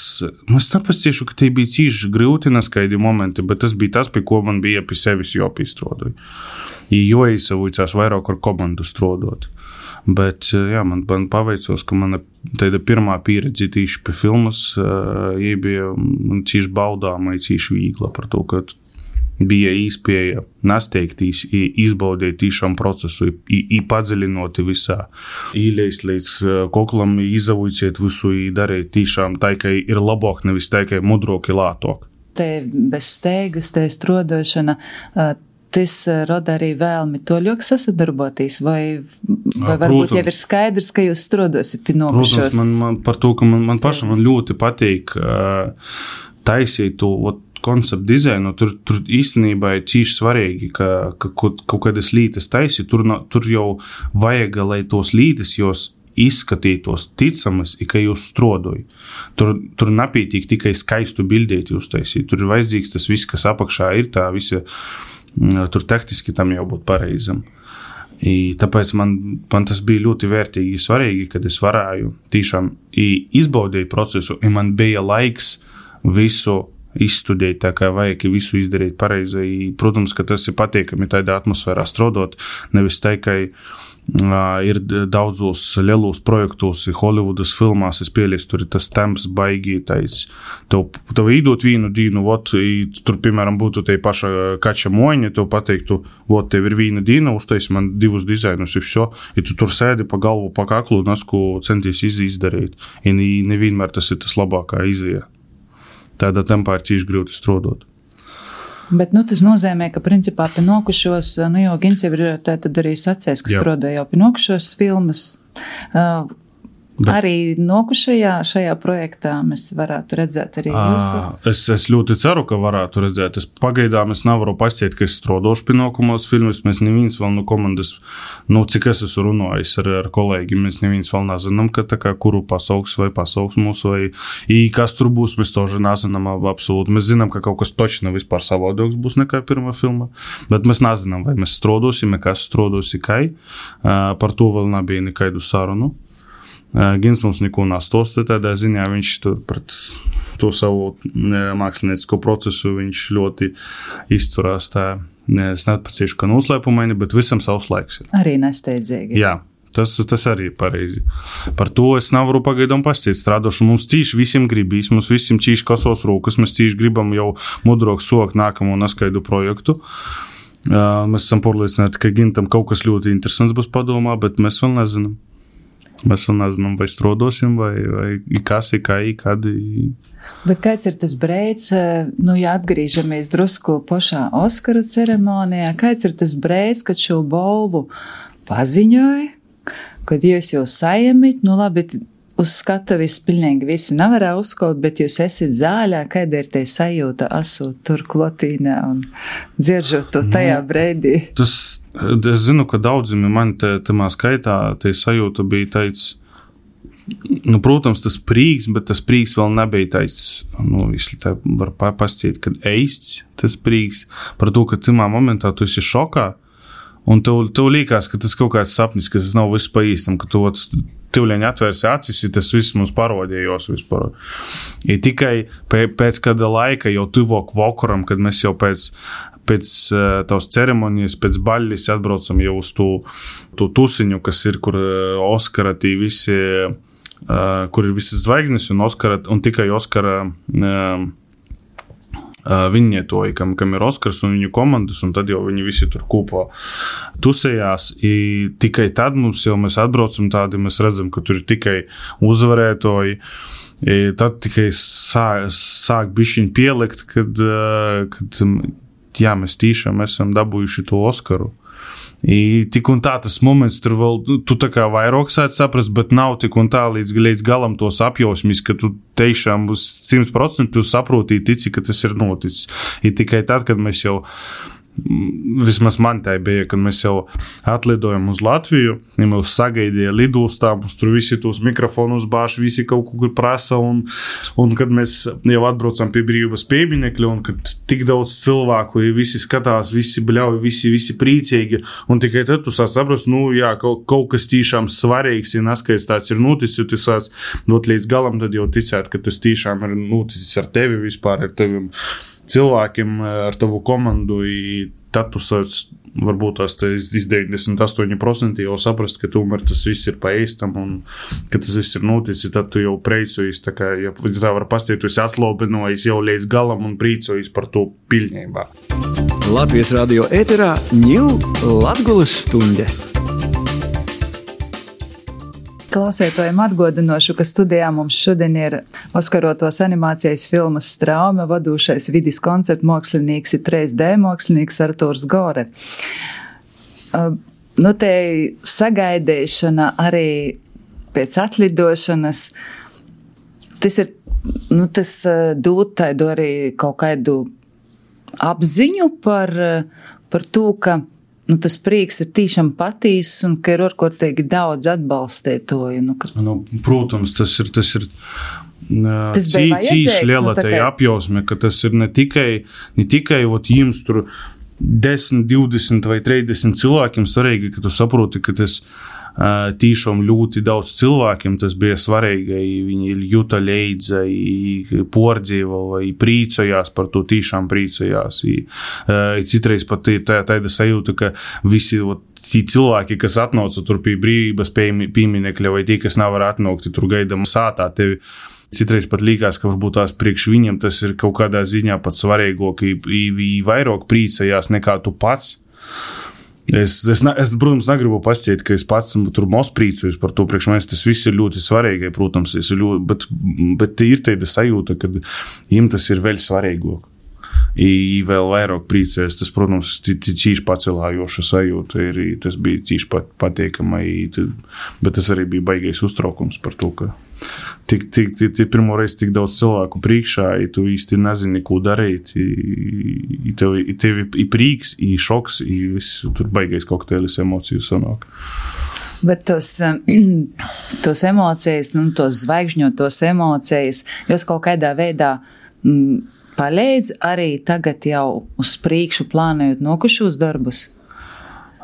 nu es tāpēc ciešu, ka tī bija cīši grūti neskaidi momenti, bet tas bija tas, pie ko man bija pie sevis jopīstrodoju. I jo īsavujcās vairāk ar komandu strodot. Bet, jā, man, man paveicos, ka mana tāda pirmā pieredze tīši pie filmas, jī bija cīši baudāma, cīši vīgla par to, ka bija īspēja nasteigtīs, izbaudēt tīšām procesu, i, i padziļinoti visā. Īleist līdz koklam, izavujciet visu, i darīt tīšām tā, ka ir labāk, nevis tā, ka ir mudrāk, i lātāk. Te bez steigas, te strodošana, tas roda arī vēlmi toļok sasadarboties, vai, vai varbūt protams, jau ir skaidrs, ka jūs strodosit pie nokušos? Protams, man, man par to, ka man, man pašam man ļoti patīk uh, taisīt to konceptu dizainu, tur, tur īstenībā ir cīši svarīgi, ka, ka kaut, kaut kādas lītas taisi, tur, tur jau vajag, lai tos lītas jūs izskatītos ticamas, i ka jūs strodoju. Tur, tur napītīk tikai skaistu bildēt jūs taisīt. Tur ir vajadzīgs tas viss, kas apakšā ir, tā visa, tur tehniski tam jau būt pareizam. I tāpēc man, man tas bija ļoti vērtīgi svarīgi, kad es varēju tīšām izbaudēju procesu, i man bija laiks visu izstudēt, tā kā vajag visu izdarīt pareizi. I, protams, ka tas ir patīkami tādā atmosfērā strodot, nevis tā, ka uh, ir daudzos lielos projektos, Hollywoodas filmās, es pielies, tur ir tas temps baigi, tais, tev, tev īdot vīnu dīnu, vot, i, tur, piemēram, būtu te paša kača moņa, tev pateiktu, vot, tev ir vīna dīna, uztais man divus dizainus, i vso, i tu tur sēdi pa galvu, pa kaklu, nasku centies izdarīt, i nevienmēr tas ir tas labākā izēja. Tādā tempā ir cīši grūti strodot. Bet, nu, tas nozīmē, ka, principā, pie nokušos, nu, jo Gins jau ir tā tad arī sacējis, ka strodoja jau pie nokušos filmas. Uh, Bet, arī nokušajā šajā projektā mēs varētu redzēt arī jūsu? Es, es ļoti ceru, ka varētu redzēt. Es pagaidām es nevaru pastiet, ka es strodošu pie nokumos filmas. Mēs neviens vēl no komandas, nu, cik es esmu runājis ar, ar kolēģi, mēs neviens vēl nezinām, ka tā kā kuru pasauks vai pasauks mūsu, vai i kas tur būs, mēs toži nezinām absolūti. Mēs zinām, ka kaut kas točno vispār savādāks būs nekā pirmā filma, bet mēs nezinām, vai mēs strodosim, kas strodosi, kai. Par to vēl nebija nekaidu sarunu. Gins mums neko nastosta tādā ziņā, viņš tur pret to savu māksliniecisko procesu, viņš ļoti izturās tā, es nepacīšu, ka noslēpumaini, bet visam savs laiks ir. Arī nesteidzīgi. Jā, tas, tas arī ir pareizi. Par to es nevaru pagaidām pastiet strādošu. Mums cīši visiem gribīs, mums visiem cīši kasos rūkas, mēs cīši gribam jau mudrok sokt nākamo neskaidu projektu. Mēs esam pārliecināti, ka Gintam kaut kas ļoti interesants būs padomā, bet mēs vēl nezinām. Mēs vēl nezinām, vai strodosim, vai, vai kas ir, kā ir, kad ir. Bet kāds ir tas breids, nu, ja atgrīžamies drusku pošā Oskara ceremonijā, kāds ir tas breids, kad šo balvu paziņoja, kad jūs jau sajamit, nu labi, uz skatuvis pilnīgi visi nevarā uzkaut, bet jūs esat zāļā, kāda ir te sajūta asūt tur klotīnē un dzieržot to tajā nu, breidī? Tas, es zinu, ka daudzim man te, tamā skaitā te sajūta bija teic, nu, protams, tas prīks, bet tas prīks vēl nebija teic, nu, visli tā var pastiet, kad eists tas prīks, par to, ka tamā momentā tu esi šokā, un tev, tev līkās, ka tas kaut kāds sapnis, ka tas nav viss pa īstam, ka tu tivļaņi atvērsi acis, ja tas viss mums parodījos vispār. I tikai pēc kāda laika jau tuvok vokuram, kad mēs jau pēc, pēc tavas ceremonijas, pēc baļļis atbraucam jau uz to, to tusiņu, kas ir, kur Oskara tī visi, kur ir visas zvaigznes un Oskara, un tikai Oskara viņietoji, kam, kam ir Oskars un viņu komandas, un tad jau viņi visi tur kūpo tusējās. I tikai tad mums jau mēs atbraucam tādi, mēs redzam, ka tur ir tikai uzvarētoji. I tad tikai sāk, sāk bišķiņ pielikt, kad, kad jā, mēs tīšām esam dabūjuši to Oskaru. I tik un tā tas moments tur vēl, tu tā kā vairāk sāc saprast, bet nav tik un tā līdz, līdz galam tos apjausmis, ka tu tiešām uz simt procenti tu saproti, tici, ka tas ir noticis. I tikai tad, kad mēs jau vismaz man tai bija, kad mēs jau atlidojam uz Latviju, ja mūs sagaidīja lidostā, mums tur visi tos mikrofonus bāž, visi kaut kur prasa, un, un kad mēs jau atbraucam pie brīvības pieminekļa, un kad tik daudz cilvēku, ja visi skatās, visi bļauj, visi, visi priecīgi, un tikai tad tu sāc saprast, nu, jā, kaut, kaut kas tīšām svarīgs, ja naskais tāds ir noticis, jo tu sāc dot līdz galam, tad jau ticēt, ka tas tīšām ir noticis ar tevi vispār, ar tevim cilvēkiem, ar tavu komandu, tad tu sāc, varbūt tās deviņdesmit astoņi procenti jau saprast, ka tomēr tas viss ir pa īstam un ka tas viss ir noticis, tad tu jau priecojies, tā kā, ja tā var pastīt, tu esi atslobinojis jau līdz galam un priecojies par to pilnībā. Latvijas radio ēterā ņū Latgolas stunde. Klausētojiem atgādināšu, ka studijā mums šodien ir oskarotos animācijas filmas Straume vadūšais vidis konceptu mākslinieks ir trīs D mākslinieks Artūrs Gore. Uh, nu, te sagaidīšana arī pēc atlidošanas, tas ir, nu, tas uh, dod tādu arī kaut kādu apziņu par, uh, par to, ka nu, tas prieks ir tīšām patīs un ka ir orkortīgi daudz atbalstētoju. Nu, ka... nu, protams, tas ir, tas ir tas cī, cīši liela nu, tai apjausme, ka tas ir ne tikai, ne tikai ot, jums tur desmit, divdesmit vai trīsdesmit cilvēkiem svarīgi, ka tu saproti, ka tas tīšām ļoti daudz cilvēkiem tas bija svarīgi, viņi jūta leidza, pordzīva vai prīcojās par to, tīšām prīcojās. Citreiz pat ir tā, tāda sajūta, ka visi ot, tie cilvēki, kas atnauca tur pie brīvības pieminekļa vai tie, kas nevar atnaukt, tur gaidam sātā tevi. Citreiz pat līkās, ka varbūt tās priekš viņiem tas ir kaut kādā ziņā pat svarīgāk, vairāk prīcojās nekā tu pats. Es, es, es, protams, negribu pasciet, ka es pats tur mos prīcojos par to, priekš mēs tas viss ir ļoti svarīgi, protams, es ļoti, bet, bet ir tāda sajūta, ka jiem tas ir vēl svarīgāk. I vēl vairāk prīcēs, tas, protams, cīši pacelājoša sajūta ir, tas bija cīši pat, patīkama, bet tas arī bija baigais uztraukums par to, ka tik, tik, tik, tik pirmo reizi tik daudz cilvēku priekšā, i tu īsti nezini, ko darīt, i, i tev, i tev i prīks, i šoks, i viss, tur baigais kokteilis emociju sanāk. Bet tos, tos emocijas, nu, tos zvaigžņotos emocijas, jūs kaut kādā veidā mm, palīdz arī tagad jau uz priekšu plānojot nokušos darbus?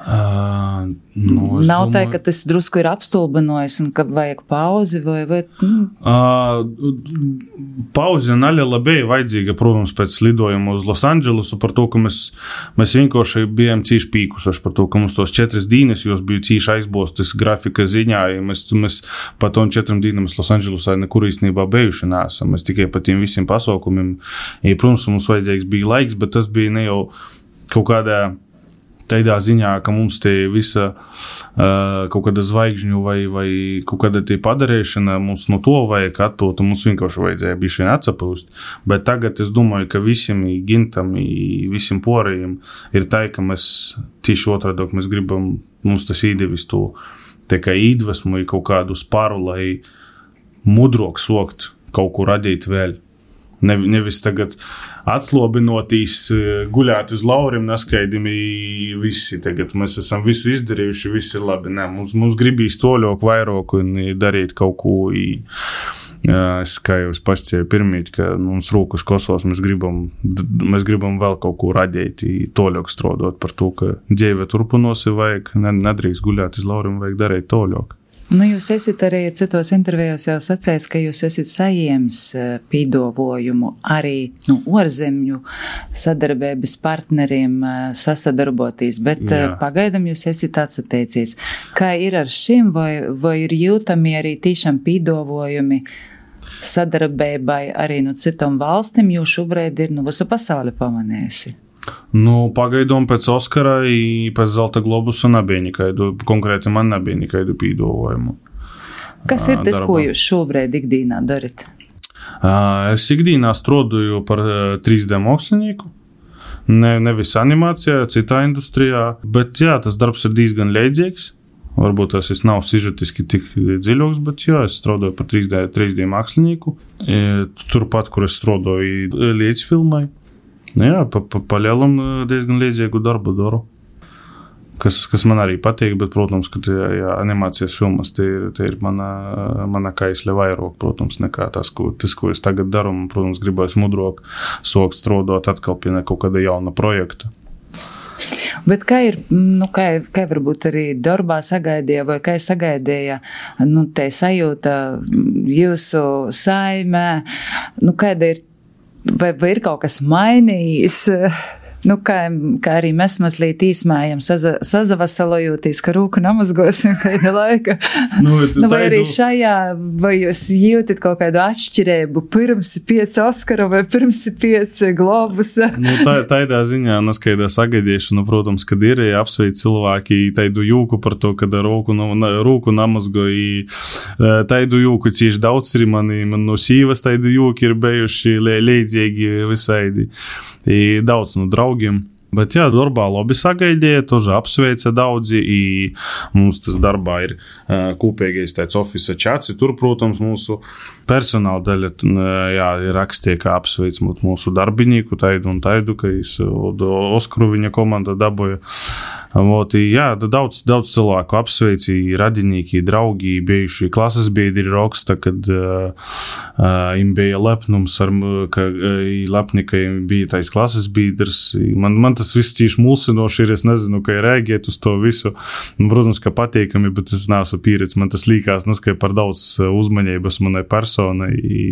Uh, nu, Nav domāju... tā, ka tas drusku ir apstulbinojis un ka vajag pauzi vai... vai mm. uh, pauzi naļa bija vajadzīga, protams, pēc lidojuma uz Losandželosu par to, ka mēs, mēs vienkārši bijām cīši pīkusoši par to, ka mums tos četras dīnes, jūs bija cīši aizbostas grafika ziņā, ja mēs, mēs pa tom četram dīnam Losandželosā nekur īstenībā bijuši neesam, mēs tikai pa tiem visiem pasaukumiem, ja, protams, mums vajadzīgs bija laiks, bet tas bija ne jau kaut kādā tādā ziņā, ka mums te visa uh, kaut kāda zvaigžņu vai, vai kaut kāda te padarīšana, mums no to vajag atpūt, un mums vienkārši vajadzēja bišķiņ atsapūst. Bet tagad es domāju, ka visiem i gintam, i visiem porējiem ir tā, ka mēs tieši otrādāk mēs gribam, mums tas īdevis to tā kā īdvesmu i kaut kādu spāru, lai mudrok sokt kaut ko radīt vēl. Ne, nevis tagad atslobinotīs, guļāt uz lauriem, neskaidimi visi. Tagad mēs esam visu izdarījuši, viss ir labi. Nē, mums, mums gribīs toļok vairāk un darīt kaut ko. I, es kā jau es pascēju pirmīt, ka mums rūkas kosos, mēs gribam, mēs gribam vēl kaut ko radīt, toļok strodot par to, ka dzīve turpinosi vajag, nedrīkst guļāt uz lauriem, vajag darīt toļok. Nu, jūs esat arī citos intervijos jau sacējis, ka jūs esat sajiems pīdovojumu arī nu, orzemju sadarbības partneriem sasadarboties, bet Jā. Pagaidam jūs esat atsateicies. Kā ir ar šim, vai, vai ir jūtami arī tīšām pīdovojumi sadarbībai arī no citom valstim, jo šobrīd ir nu, visa pasaule pamanējusi? Nu, pagaidām pēc Oskara i pēc Zelta globusa nebija nekaidu, konkrēti man nebija nekaidu pīdovojumu. Kas ir tas, darba. Ko jūs šobrīd ikdīnā darat? Es ikdīnā strodoju par trīs D mākslinieku, ne, nevis animācijā, citā industrijā, bet jā, tas darbs ir diezgan leidzīgs. Varbūt tas es nav sižetiski tik dziļoks, bet jā, es strodoju par trīs D mākslinieku. Turpat, kur es strodoju līdz filmai. Nu jā, pa, pa, pa lielam diezgan līdzīgu darbu daru. Kas, kas man arī patīk, bet, protams, ka tie, jā, animācijas filmas, tie ir, tie ir mana, mana kaisle vairāk, protams, nekā tas, ko, tas, ko es tagad daru. Man, protams, gribēs mudrāk sokt strādāt atkal pie kaut kāda jauna projekta. Bet kā ir, nu, kā, kā varbūt arī darbā sagaidīja, vai kā sagaidīja, nu, te sajūta jūsu saimē, nu, kāda ir, vai, vai ir kaut kas mainījis? Nu, kā, kā arī mēs mazliet īsmējam, saza, sazavasalojūtīs, ka rūku namazgosim kāda laika. Nu, nu, vai arī šajā, vai jūs jūtat kaut kādu atšķirību pirms pieci Oskaru vai pirms pieci Globusa? Nu, tā, tādā ziņā, neskaidā sagaidīšana, protams, kad ir apsveic cilvēki taidu jūku par to, kad rūku, rūku namazgoji. Taidu jūku cīši daudz ir mani, man no sīvas taidu jūki ir bijuši līdzīgi visaidi. I daudz no draugiem. Bet jā, darbā labi sagaidīja, toži apsveica daudzi, i mums tas darbā ir uh, kopīgais tāds ofisa čats, tur, protams, mūsu personāla daļa, jā, ir rakstīja, kā apsveic mūsu darbinīku, taidu un taidu, ka es Oskaru viņa komanda daboja. Vot, jā, daudz, daudz cilvēku apsveici, radinīki, draugi, bijuši klases biedri raksta, kad uh, uh, im bija lepnums, ar, ka uh, lepni, ka im bija tais klases biedrs. Man, man tas viss cīši mulsinoši ir, es nezinu, kā rēģēt uz to visu. Man, protams, ka patīkami, bet es neesmu pieredzi. Man tas līkās, neskai par daudz uzmanības manai personai. I,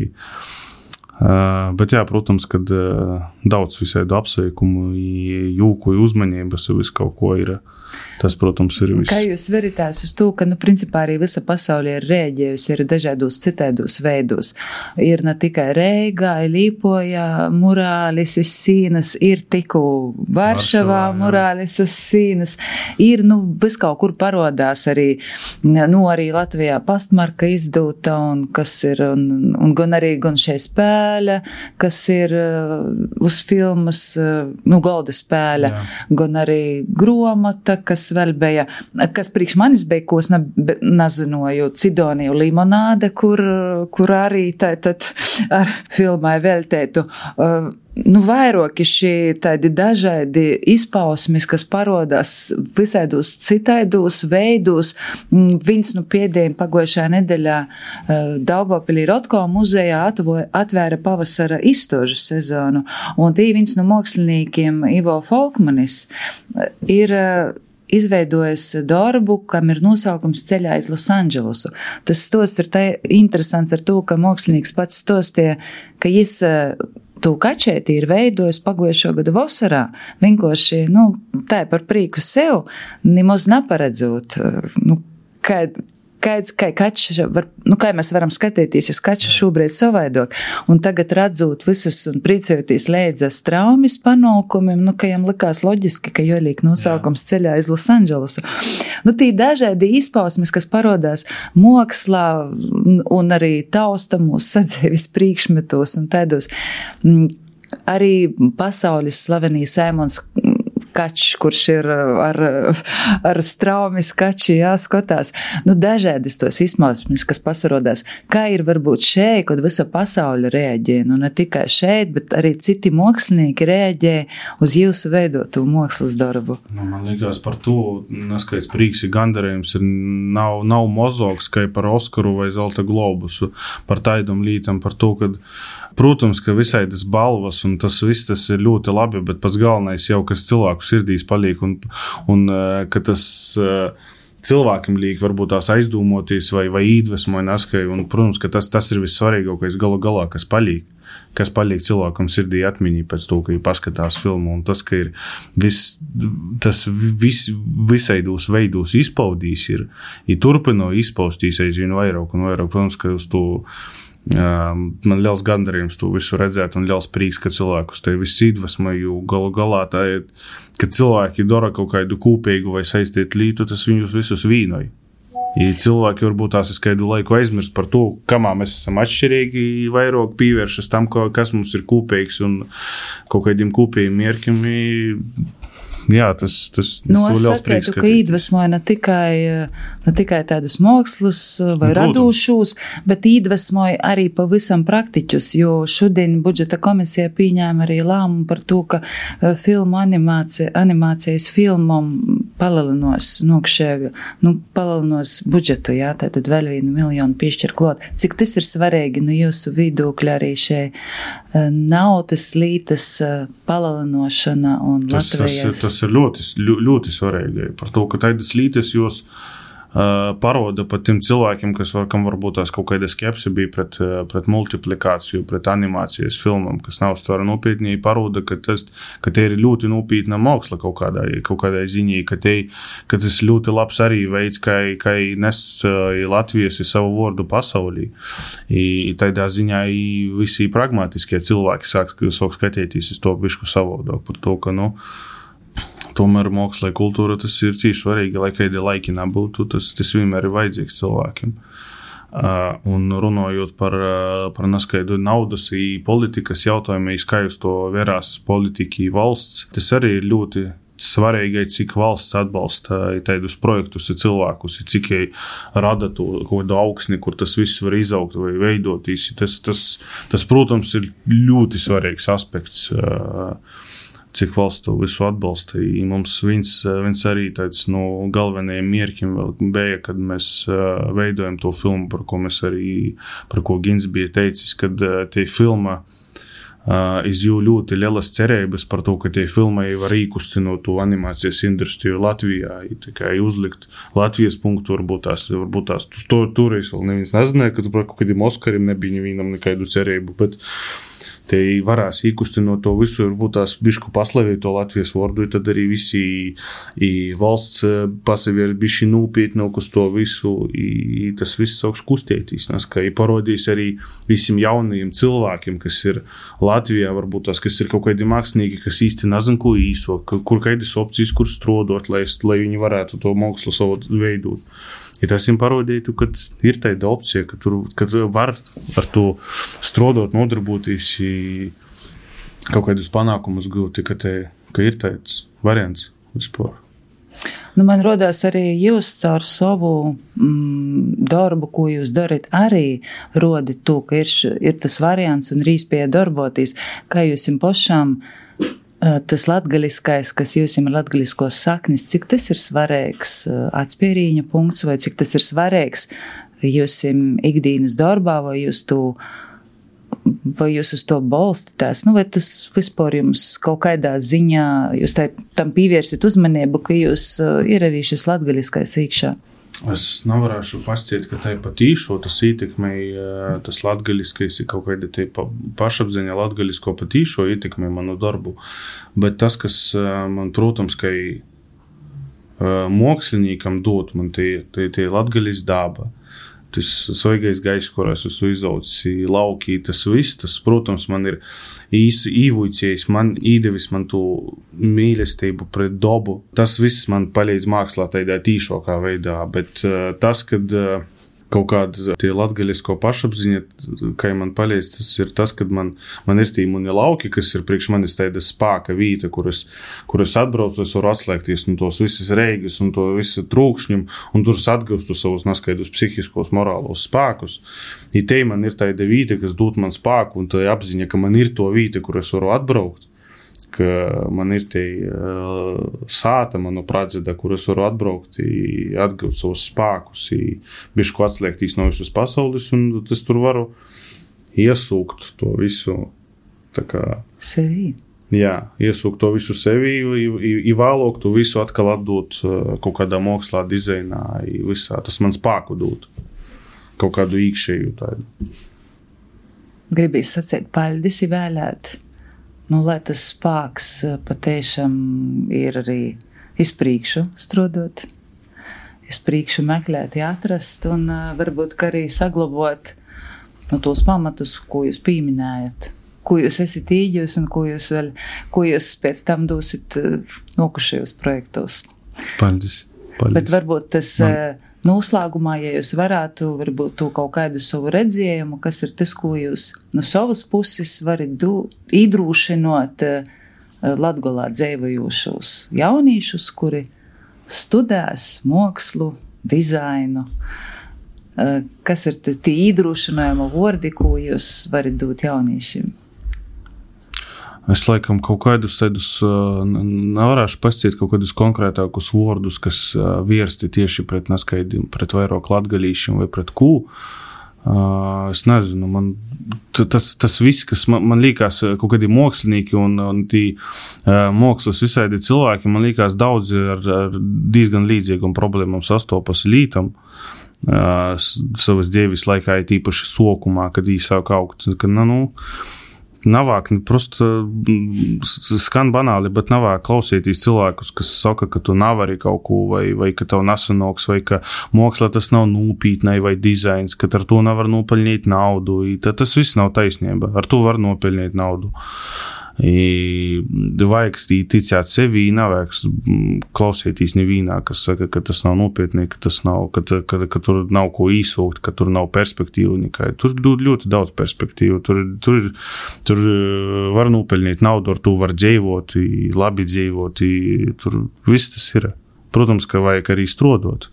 Uh, bet jā, protams, kad uh, daudz visādu apsveikumu, jūku, uzmanības, visu kaut ko ir. Tas, protams, ir viss. Kā jūs veritās uz to, ka, nu, principā arī visa pasaulē ir rēģējusi, ir dažādos citēdos veidos. Ir ne tikai Reigā, Līpojā, murālis uz sīnas, ir tiku Varšavā, murālis uz sīnas. Ir, nu, vis kaut kur parodās arī, nu, arī Latvijā pastmarka izdūta, un kas ir, un, un gan arī, gan šai spēle, kas ir uh, uz filmas, uh, nu, golda spēle, jā. Gan arī gromata, kas vēl bija, kas priekš manis bija, ko es ne, nezinoju, Cidoniju limonāde, kur, kur arī tātad ar filmai veltētu. Uh, nu, vairāki šī tādi dažādi izpausmes, kas parodās visādos citaidos veidos. Viens nu pēdējiem pagojušā nedēļā uh, Daugavpilī Rotko muzejā atvo, atvēra pavasara izstožu sezonu, un tī viens no māksliniekiem Ivo Folkmanis ir uh, izveidojis darbu, kam ir nosaukums Ceļā iz Losandželosu. Tas stosts ir tā interesants ar to, ka mākslinieks pats stostie, ka jis to kačēti ir veidojis pagojušo gadu vasarā. Vienkārši, nu, tā par prīku sev, nemaz neparedzot, nu, kad Kāds, kā, kač, var, nu, kā mēs varam skatīties, ja kaču šobrīd savaidok, un tagad redzot visas un priecējoties līdz traumas panākumiem, nu, ka jām likās loģiski, ka jolīk nosaukums Ceļā iz Losandželosu. Nu, tī dažādi izpausmes, kas parodās mākslā un arī taustamos sadzīves priekšmetos un tādos. Arī pasaules slavenī Saimons Kačs, kurš ir ar, ar straumis kači jāskatās. Nu, dažādas tos izpausmes, kas pasarodās. Kā ir varbūt šeit, kad visa pasaule reaģē, nu ne tikai šeit, bet arī citi mākslinieki reaģē uz jūsu veidotu mākslas darbu? Nu, man liekas par to, neskaidrs prīks ir gandarījums, ir nav, nav mozoks, kā par Oskaru vai Zelta globusu, par taidam lītam, par to, kad protams, ka visai tas balvas un tas viss tas ir ļoti labi, bet pats galvenais jau, kas cilvēku sirdīs paliek un, un ka tas cilvēkiem liek varbūt tās aizdomotīs vai, vai īdvesmoja neskai, un, protams, ka tas, tas ir vissvarīgākais galu galā, kas paliek, kas paliek cilvēkam sirdī atmiņī pēc to, ka viņi paskatās filmu, un tas, ka ir vis, tas vis, visaidos veidos izpaudīs, ir, ir turpino izpaustīs aizvien vairāk un vairāk, protams, ka uz to man liels gandarījums to visu redzēt un liels prīks, ka cilvēkus te viss iedvesmo, jo galu galā tā ir, ka cilvēki dara kaut kādu kūpīgu vai saistīt lītu, tas viņus visus vīnoja. Ja cilvēki varbūt tās es kādu laiku aizmirst par to, kamā mēs esam atšķirīgi, vairāk pievēršas tam, kas mums ir kūpīgs un kaut kādiem kūpījiem mierkiem, Jā, tas, tas, tas no, es sacētu, ka iedvesmoja ne tikai, ne tikai tādus mokslus vai radūšus, bet iedvesmoja arī pavisam praktiķus, jo šodien budžeta komisija pieņēma arī lēmumu par to, ka filmu animācija, animācijas filmam palalinos nokšēga, nu, palalinos budžetu, jā, tātad vēl vienu miljonu piešķir klot. Cik tas ir svarīgi, nu, jūsu vidūkļi arī šie naudas lītas palalinošana un tas, Latvijas... Tas, tas ir ļoti, ļoti svarīgi par to, ka taidas lītas jūs uh, paroda pat tiem cilvēkiem, kas var, kam varbūt tās kaut kāda skepse bija pret, pret multiplikāciju, pret animācijas filmam, kas nav stvara nopietnī, paroda, ka, tas, ka te ir ļoti nopietna māksla kaut kādai, kaut kādai ziņī, ka, te, ka tas ļoti labs arī veids, kā, kā nes uh, Latvijas savu vārdu pasaulī. I, tādā ziņā i visi pragmatiskie cilvēki sāk, sāk skatīties uz to bišku savādāk par to, ka, nu, tomēr māksla un kultūra tas ir cīši svarīgi, lai kādi laiki nebūtu, tas, tas vienmēr ir vajadzīgs cilvēkiem. Uh, un runājot par, uh, par neskaidu naudas un politikas jautājumiem, kā jūs to vērās politiki valsts, tas arī ir ļoti svarīgi, cik valsts atbalsta tādus projektus un cilvēkus, cik rada to kaut kādu augsni, kur tas viss var izaugt vai veidoties. Tas, tas, tas, protams, ir ļoti svarīgs aspekts, uh, cik valsts to visu atbalsta. I mums viens, viens arī tāds no galvenajiem mierkiem vēl bija, kad mēs uh, veidojam to filmu, par ko mēs arī, par ko Gins bija teicis, kad uh, tie filma uh, iz jū ļoti lielas cerības par to, ka tie filmai var īkustinot to animācijas industriju Latvijā, i tikai uzlikt Latvijas punktu, varbūt tās, varbūt tās, to, toreiz vēl neviens nezināja, ka par kaut kādiem Oskarim nebija nevienam nekādu cerību, bet te varēs īkustinot to visu, varbūt tās bišku paslavīt to Latvijas vārdu, tad arī visi i valsts pasavi ir bišķi nūpietnāk uz to visu, i tas viss sauks kustētīs, nes, ka i parodīs arī visiem jaunajiem cilvēkiem, kas ir Latvijā, varbūt tās, kas ir kaut kādi mākslinieki, kas īsti nezin, ko īso, kur kādas opcijas, kur strodot, lai, lai viņi varētu to mākslu savu veidot. Ja tas jums parodītu, ka ir tāda opcija, ka tur ka var ar to strodot, nodarboties, kaut kādus panākumus gūt, ka, te, ka ir tāds variants vispār. Nu, man rodās arī jūs caur savu mm, darbu, ko jūs darat, arī rodi to, ka ir, ir tas variants un ir īspēja darboties, kā jūs jums pašām tas latgaliskais, kas jūs ir latgaliskos saknis, cik tas ir svarīgs atspērīņa punkts, vai cik tas ir svarīgs jūs ikdienas darbā, vai jūs to, vai jūs uz to balstītās, nu, vai tas vispār jums kaut kādā ziņā, jūs tā, tam pievērsit uzmanību, ka jūs ir arī šis latgaliskais īkšā. Es nevarēšu pasciet, ka tai patīšo, tas ietekmēja, tas latgaliskais ir kaut kāda tai pašapziņa latgalisko patīšo ietekmē manu darbu, bet tas, kas man, protams, ka moksliniekam dot man tie, tie, tie latgalis daba, tas svaigais gaiss, kur es esmu izaucis laukī, tas viss, tas, protams, man ir īsi īvuicējis, man īdevis man to mīlestību pret dobu. Tas viss man palīdz mākslā tādā tīšākā veidā, bet uh, tas, kad uh, kaut kāda tie latgalisko pašapziņa, kā man palīdz, tas ir tas, kad man, man ir tī muni lauki, kas ir priekš manis tāda spāka vīta, kuras, kuras atbraucu, es varu atslēgties no tos visas reigas un to visu trūkšņum, un tur atgūstu savus neskaidrus psihiskos, morālos spēkus. I te man ir tāda vīta, kas dod man spēku, un tā apziņa, ka man ir to vīta, kur es varu atbraukt, ka man ir tie uh, sāta, manu pradzeda, kur es varu atbraukt, atgūt savus spēkus, bišku atslēgtīs no visas pasaules, un es tur varu iesūkt to visu, tā kā... Sevi. Jā, iesūkt to visu sevi, i vēlāk to visu atkal atdot uh, kaut kādā mokslā, dizainā, visā. Tas man spēku dod. Kaut kādu īkšēju tādu. Gribīs sacīt, paļdis ir vēlēt. Nu, lai tas spāks patiešām ir arī izpriekšu strodot, izpriekšu meklēt, atrast un uh, varbūt arī saglabot nu, tos pamatus, ko jūs pieminējat, ko jūs esat īģjūs un ko jūs vēl, ko jūs pēc tam dosit uh, nokušajos projektos. Paldies. Paldies. Bet varbūt tas uh, noslēgumā, ja jūs varētu varbūt to kaut kādu savu redzējumu, kas ir tas, ko jūs no savas puses varat iedrūšinot Latgolā dzēvojošos jaunīšus, kuri studēs mākslu, dizainu. Kas ir tie iedrošinājuma vārdi, ko jūs varat dot jauniešiem? Es laikam kaut kādus tādus, nevarēšu pasciet kaut kādus konkrētākus vārdus, kas vērsti tieši pret neskaidriem, pret vairāk latgalīšiem vai pret kū. Es nezinu, man tas, tas viss, kas man, man liekas kaut kādi mākslinieki un, un tī mākslas visādi cilvēki, man liekas daudzi ar, ar diezgan līdzīgām problēmām sastopas lītam. Uh, savas dzīves laikā ir tīpaši sokumā, kad īsāk augt. Kad, nu, navāk, prosta skan banāli, bet navāk klausīties cilvēkus, kas saka, ka tu navari kaut ko, vai, vai ka tev nesanoks, vai ka māksla tas nav nūpītnai vai dizains, ka ar to nevar nopelnīt naudu. Tad tas viss nav taisnība. Ar to var nopelnīt naudu. I vajag ticēt sevi, nevajag klausīties nevīnā, kas saka, ka tas nav nopietni, ka, tas nav, ka, ka, ka tur nav ko īsūkt, ka tur nav perspektīvu nekai. Tur ļoti daudz perspektīvu. Tur, tur, tur var nopelnīt naudu, ar to var dzīvot, labi dzīvot. Tur viss tas ir. Protams, ka vajag arī strodot.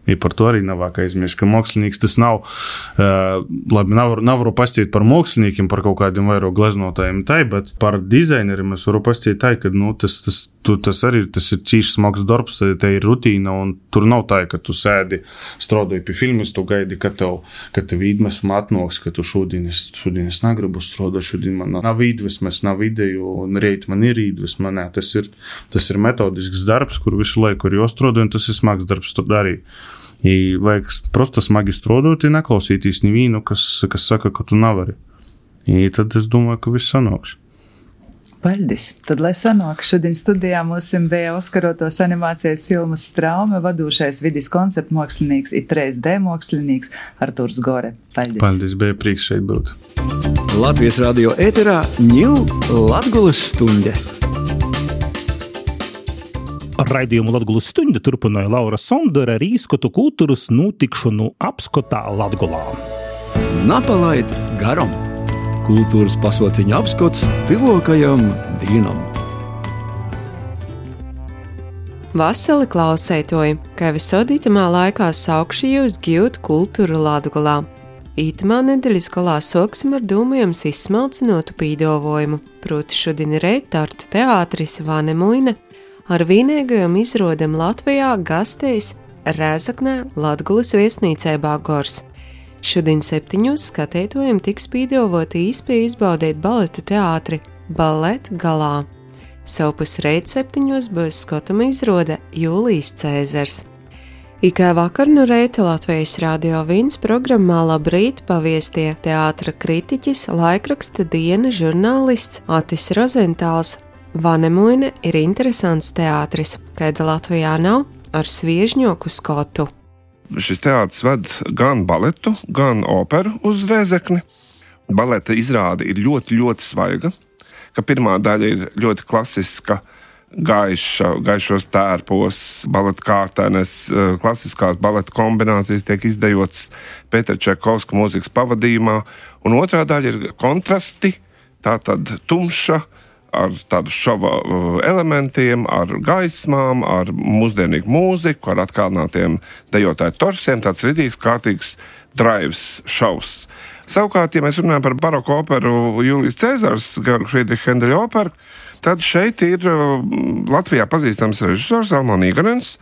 I par to arī nav aizmirst, ka mākslinieks tas nav, uh, labi, nav, nav varu pastiet par māksliniekiem, par kaut kādiem vairāk gleznotājiem tai, bet par dizaineriem es varu pastiet tai, ka, nu, tas, tas, tu, tas arī, tas ir cīšs smags darbs, tā ir rutīna, un tur nav tā, ka tu sēdi, strādāji pie filmas, tu gaidi, ka tev, ka tev iedvesma atnoks, ka tu šodien es, šodien es negribu strādāt, šodien man nav iedvesmas, nav ideju, un reit man ir iedvesma, nē, tas ir, tas ir metodisks darbs, kur visu laiku ir jāstrādā, un tas ir smags darbs to darīt. I vajag prosta smagi strādāt, i neklausīties nevīnu, kas, kas saka, ka tu nevari. I tad es domāju, ka viss sanāks. Paldies! Tad, lai sanāk, šodien studijā mums bija Oskarotos animācijas filmas Straume vadūšais vidis konceptu mākslinieks i trīs D mākslinieks Arturs Gore. Paldies! Paldies, bija prieks šeit būt. Latvijas radio ēterā Ņū Latgulas stunde. Raidījumu Latgulas stunde turpināja Laura Sondere ar īskotu kultūras notikšanu apskotā Latgolā. Napalaid garam! Kultūras pasauciņa apskots tuvākajam dienam. Vasali klausētoji, kā visod itamā laikā saukši jūs gūt kultūru Latgolā. Itamā nedēļas galā soksim ar dūmējums izsmalcinotu pīdovojumu, proti šodien reit Tartu teātris Vanemuine, ar vienīgajam izrodam Latvijā gastējis Rēzaknē Latgulas viesnīcē Bagors. Šodien septiņos skatētojiem tiks pīdovoti īspēja izbaudīt baleta teātri Ballet galā. Savpus reit septiņos būs skotama izrode Jūlijs Cēzars. Ikai vakar no reita Latvijas Radio viens programmā Labrīt paviestie teātra kritiķis, laikraksta Diena žurnālists Atis Rozentāls. Vanemuine ir interesants teātris, kāda Latvijā nav, ar sviežņoku skotu. Šis teātris ved gan baletu, gan operu uz Rēzekni. Baleta izrāde ir ļoti, ļoti svaiga, ka pirmā daļa ir ļoti klasiska, gaiša, gaišos tērpos, baleta kārtēnes, klasiskās baleta kombinācijas tiek izdejotas Pētera Čaikovska mūzikas pavadījumā, un otrā daļa ir kontrasti, tātad tumša, ar tādu šova elementiem, ar gaismām, ar mūsdienīgu mūziku, ar atkalnātiem dejotāju torsiem, tāds ridīgs, kārtīgs drives šovs. Savukārt, ja mēs runājam par baroku operu Jūlijs Cēzars, Georga Friedricha Hendeļa operu, tad šeit ir Latvijā pazīstams režisors Almāns Iganens,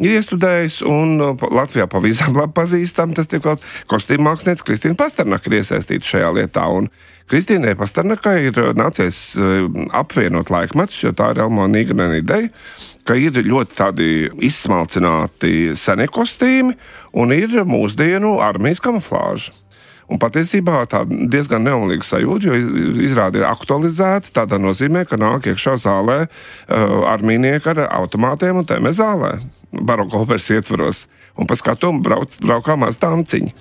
ir iestudējis, un Latvijā pavisam labi pazīstam, tas tiek kaut kostīmu mākslinieks Kristīna Pasternaka ir iesaistīta šajā lietā, un Kristīnai Pasternakai ir nācies apvienot laikmetus, jo tā ir Almāna Iganena ideja, ka ir ļoti tādi izsmalcināti senie kostīmi un ir mūsdienu armijas kamuflāža. Un patiesībā tā diezgan neumlīga sajūta, jo izrāde ir aktualizēta tādā nozīmē, ka nāk iekšā zālē uh, armijnieki ar automātiem un tēmē zālē, baroku operas ietvaros, un pa skatumu brauc, braukāmās tanciņi.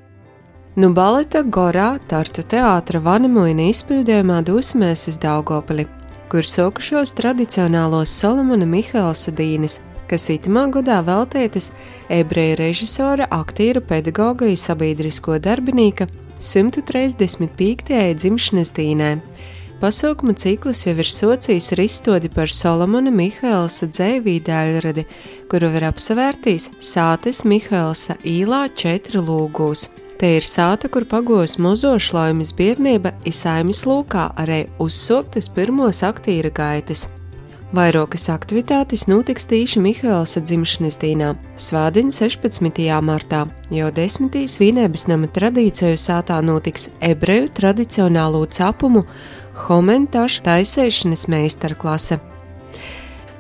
Nu baleta Gorā Tartu teātra Vanemuine izpildījumā dosimies uz Daugavpili, kur sokušos tradicionālos Solomona Mihaelsa dīnes, kas itamā godā veltītas ebreju režisora, aktīra, pedagoga un sabiedrisko darbinīka simt trīsdesmit piektajai dzimšanas dīnē. pasaukuma cikls jau ir sociījis ar izstodi par Solomona Mihaelsa dzejvīdu daļradi, kuru var apsavērtīs Sātes Mihaelsa īlā četri lūgūs. Te ir sāta, kur pagos mozošlaimis biernība i saimis lūkā arī uzsoktas pirmos aktīra gaitas. Vairokas aktivitātes notiks tīši Mihaelsa dzimšanas dīnā, svādiņ sešpadsmitajā martā, jo desmitīs Vīnēbas nama tradīciju sātā notiks ebreju tradicionālo capumu homentašu taisēšanas meistarklase.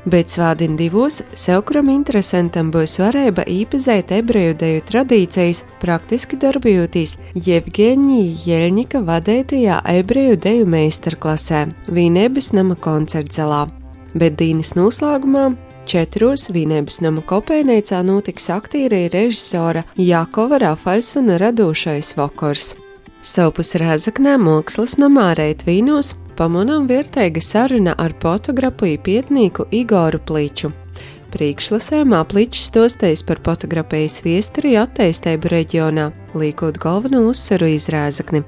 Bet svādiņ divos sevkuram interesantam būs varēba īpazēt ebreju deju tradīcijas, praktiski darbojotīs Jevgeņija Jeļņika vadētajā ebreju deju meistarklasē Vīnēbas nama koncertzalā. Bet dīnas noslēgumā četros Vīnēbas nama kopējnīcā notiks aktīra režisora Jakova Rafaļsona radošais vakars. Savpus Rēzaknē Mākslas namā Reitvīnos pamanām vērtēga saruna ar fotografu i pietnīku Igoru Pliču. Priekšlasēmā Pličs stostējis par fotografijas viesturi attīstību reģionā, līkot galveno uzsvaru iz Rēzakni.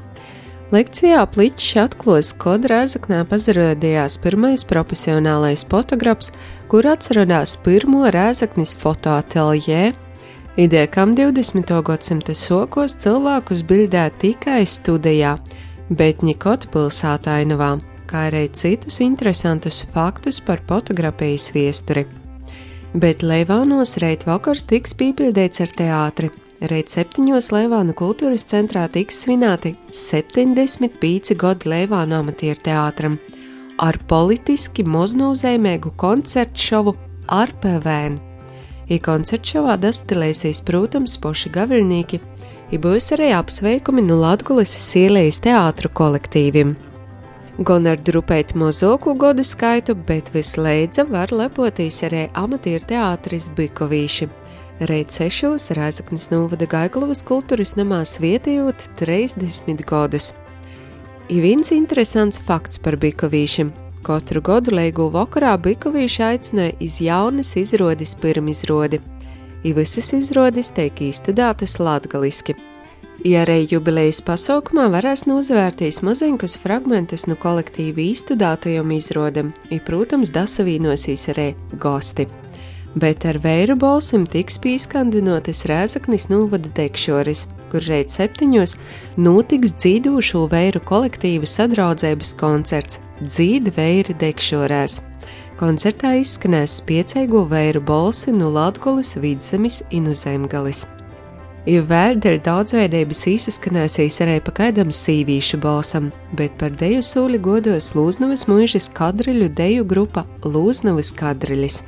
Lekcijā Pličs atklās, kod Rēzaknē pazarādījās pirmais profesionālais fotografs, kur atcerādās pirmo Rēzaknis fotoateljē, idejām divdesmitā gadsimta sokos cilvēkus bildē tikai studijā, bet nikot pilsētā Ainavā, kā arī citus interesantus faktus par fotografijas viesturi. Bet Leivānos reit vakars tiks pīpildēts ar teātri. Reit septiņos Leivānu kultūras centrā tiks svinēti septiņdesmit pīci godi Leivānu amatieru teātram ar politiski moznūzēmēgu koncertu šovu ar P V N. I koncertu šovā dastilēsīs, protams, poši gaviļnīki, i būs arī apsveikumi no Latgulis Sielijas teātru kolektīvim. Gan ar drupēt mozoku godu skaitu, bet visleidza var lepotīs arī amatieru teātris Bikovīši. Reit sešos Rēzaknis novada Gaiglavas kultūras namā svietījot trīsdesmit gadus. I viens interesants fakts par Bikovīšiem. Katru gadu leigu vakarā Bikovīši aicināja iz jaunas izrodes pirmizrodi. I visas izrodes teik īstudātas latgaliski. I arī jubilejas pasaukumā varēs nozvērtīs maziņkus fragmentus no kolektīvi īstudātajiem izrodam, i, protams, dasavīnosīs arī gosti. Bet ar vēru balsim tiks pīskandinotas Rēzaknis novada dekšoris, kur reit septiņos notiks dzīdošo vēru kolektīvu sadraudzības koncerts Dzīd vēri dekšorēs. Koncertā izskanēs spiecēgo vēru balsi no Latgulis, Vidzemis i no Zemgalis. I vēl dēļ daudzveidības izskanēsīs arī pa kaidam sīvīšu balsam, bet par deju sūli godos Lūznavas muižas kadriļu deju grupa Lūznavas kadriļis.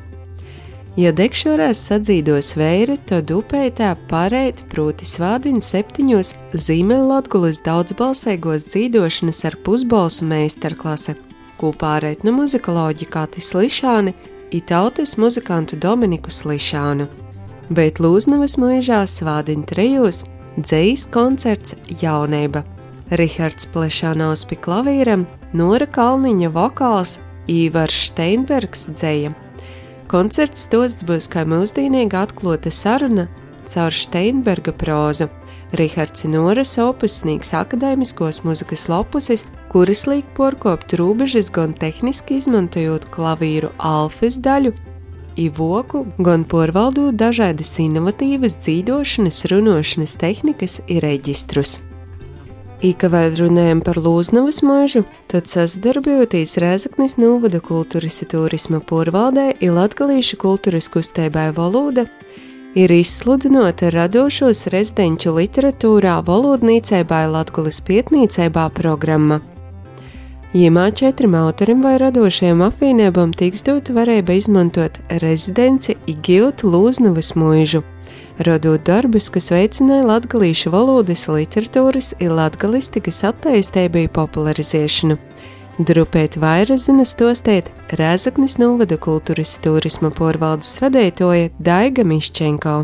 Ja dekšorēs sadzīdos vēri, tad upētā pareit proti svādiņ septiņos Zīmeļlatgulis daudzbalsēgos dzīdošanas ar pusbalsu meistarklase, ko pārēt no muzikoloģi Katis Lišāni i tautas muzikantu Dominiku Slišānu. Bet Lūznavas muižā svādiņ trejos dzejs koncerts Jauneiba. Rihards Plešānaus pi klavīram, Nora Kalniņa vokāls, Īvars Steinbergs dzeja. Koncerts stosts būs kā mūsdīnīga atklota saruna caur Steinberga prózu. Rihards Noras opus sniegs akadēmiskos muzikas lopusis, kuras liek porkopt rūbežas gan tehniski izmantojot klavīru alfas daļu, i voku, gan porvaldot dažādas inovatīvas dzīdošanas, runošanas tehnikas i reģistrus. I, ka vēl runājam par Lūznavas muižu, tad sasadarbojotīs Rēzaknis novada kultūras i turisma porvaldē i latgalīšu kultūras kustēbai Valoda, ir izsludinota radošos rezidenču literatūrā valodnīcēbai Latgulis pietnīcēbā programma. Jimā četrim autorim vai radošajam apvienībām tiks dot varēja izmantot rezidenci i gilt Lūznavas muižu, radot darbus, kas veicināja latgalīšu valodas, literatūras i latgalistikas attīstību i popularizēšanu. Drupēt vairāk zina stostēt Rēzaknis novada kultūras i turisma porvaldes vadētoja Daiga Miščenko.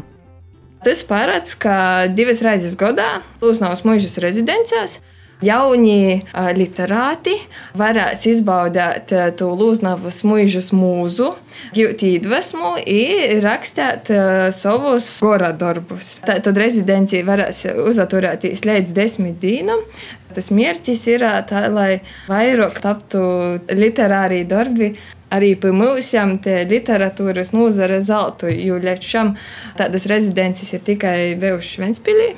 Tas paredz, ka divas reizes gadā Lūznavas muižas rezidencēs Jauni literāti varēs izbaudīt to Lūznavas muižas mūzu, gūt iedvesmu i rakstēt savus gora darbus. Tad rezidencija varēs uzaturēties līdz desmit dīnam. Tas mērķis ir tā, lai vairāk taptu literāri darbi arī pie mūsiem te literatūras nozare zeltu, jo līdz šam tādas rezidences ir tikai bijušas Ventspilī,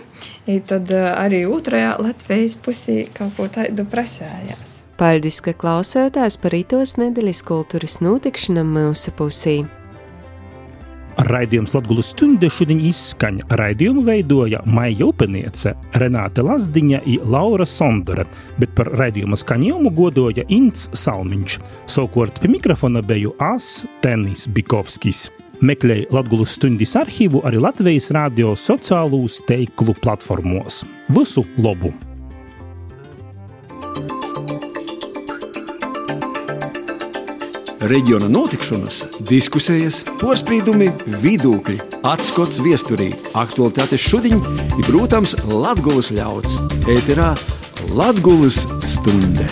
i tad arī otrajā Latvijas pusī kaut ko tādu prasējās. Paldies, ka klausētājs par itos nedēļas kultūras notikšanām mūsu pusī. Raidījums Latgulas stunde šodien izskaņ. Raidījumu veidoja Maija Upeniece, Renāte Lazdiņa i Laura Sondere, bet par raidījuma skaņojumu godoja Ints Salmiņš. Savukārt pie mikrofona beju es, Tenis Bikovskis. Meklēj Latgulas stundis arhīvu arī Latvijas radio sociālūs teiklu platformos. Visu labu! Reģiona notikšanas, diskusijas, porspīdumi, vidūkļi, atskots viesturī, aktualitātes šodien ir, protams, Latgulas ļauds. Ēterā Latgulas stunde.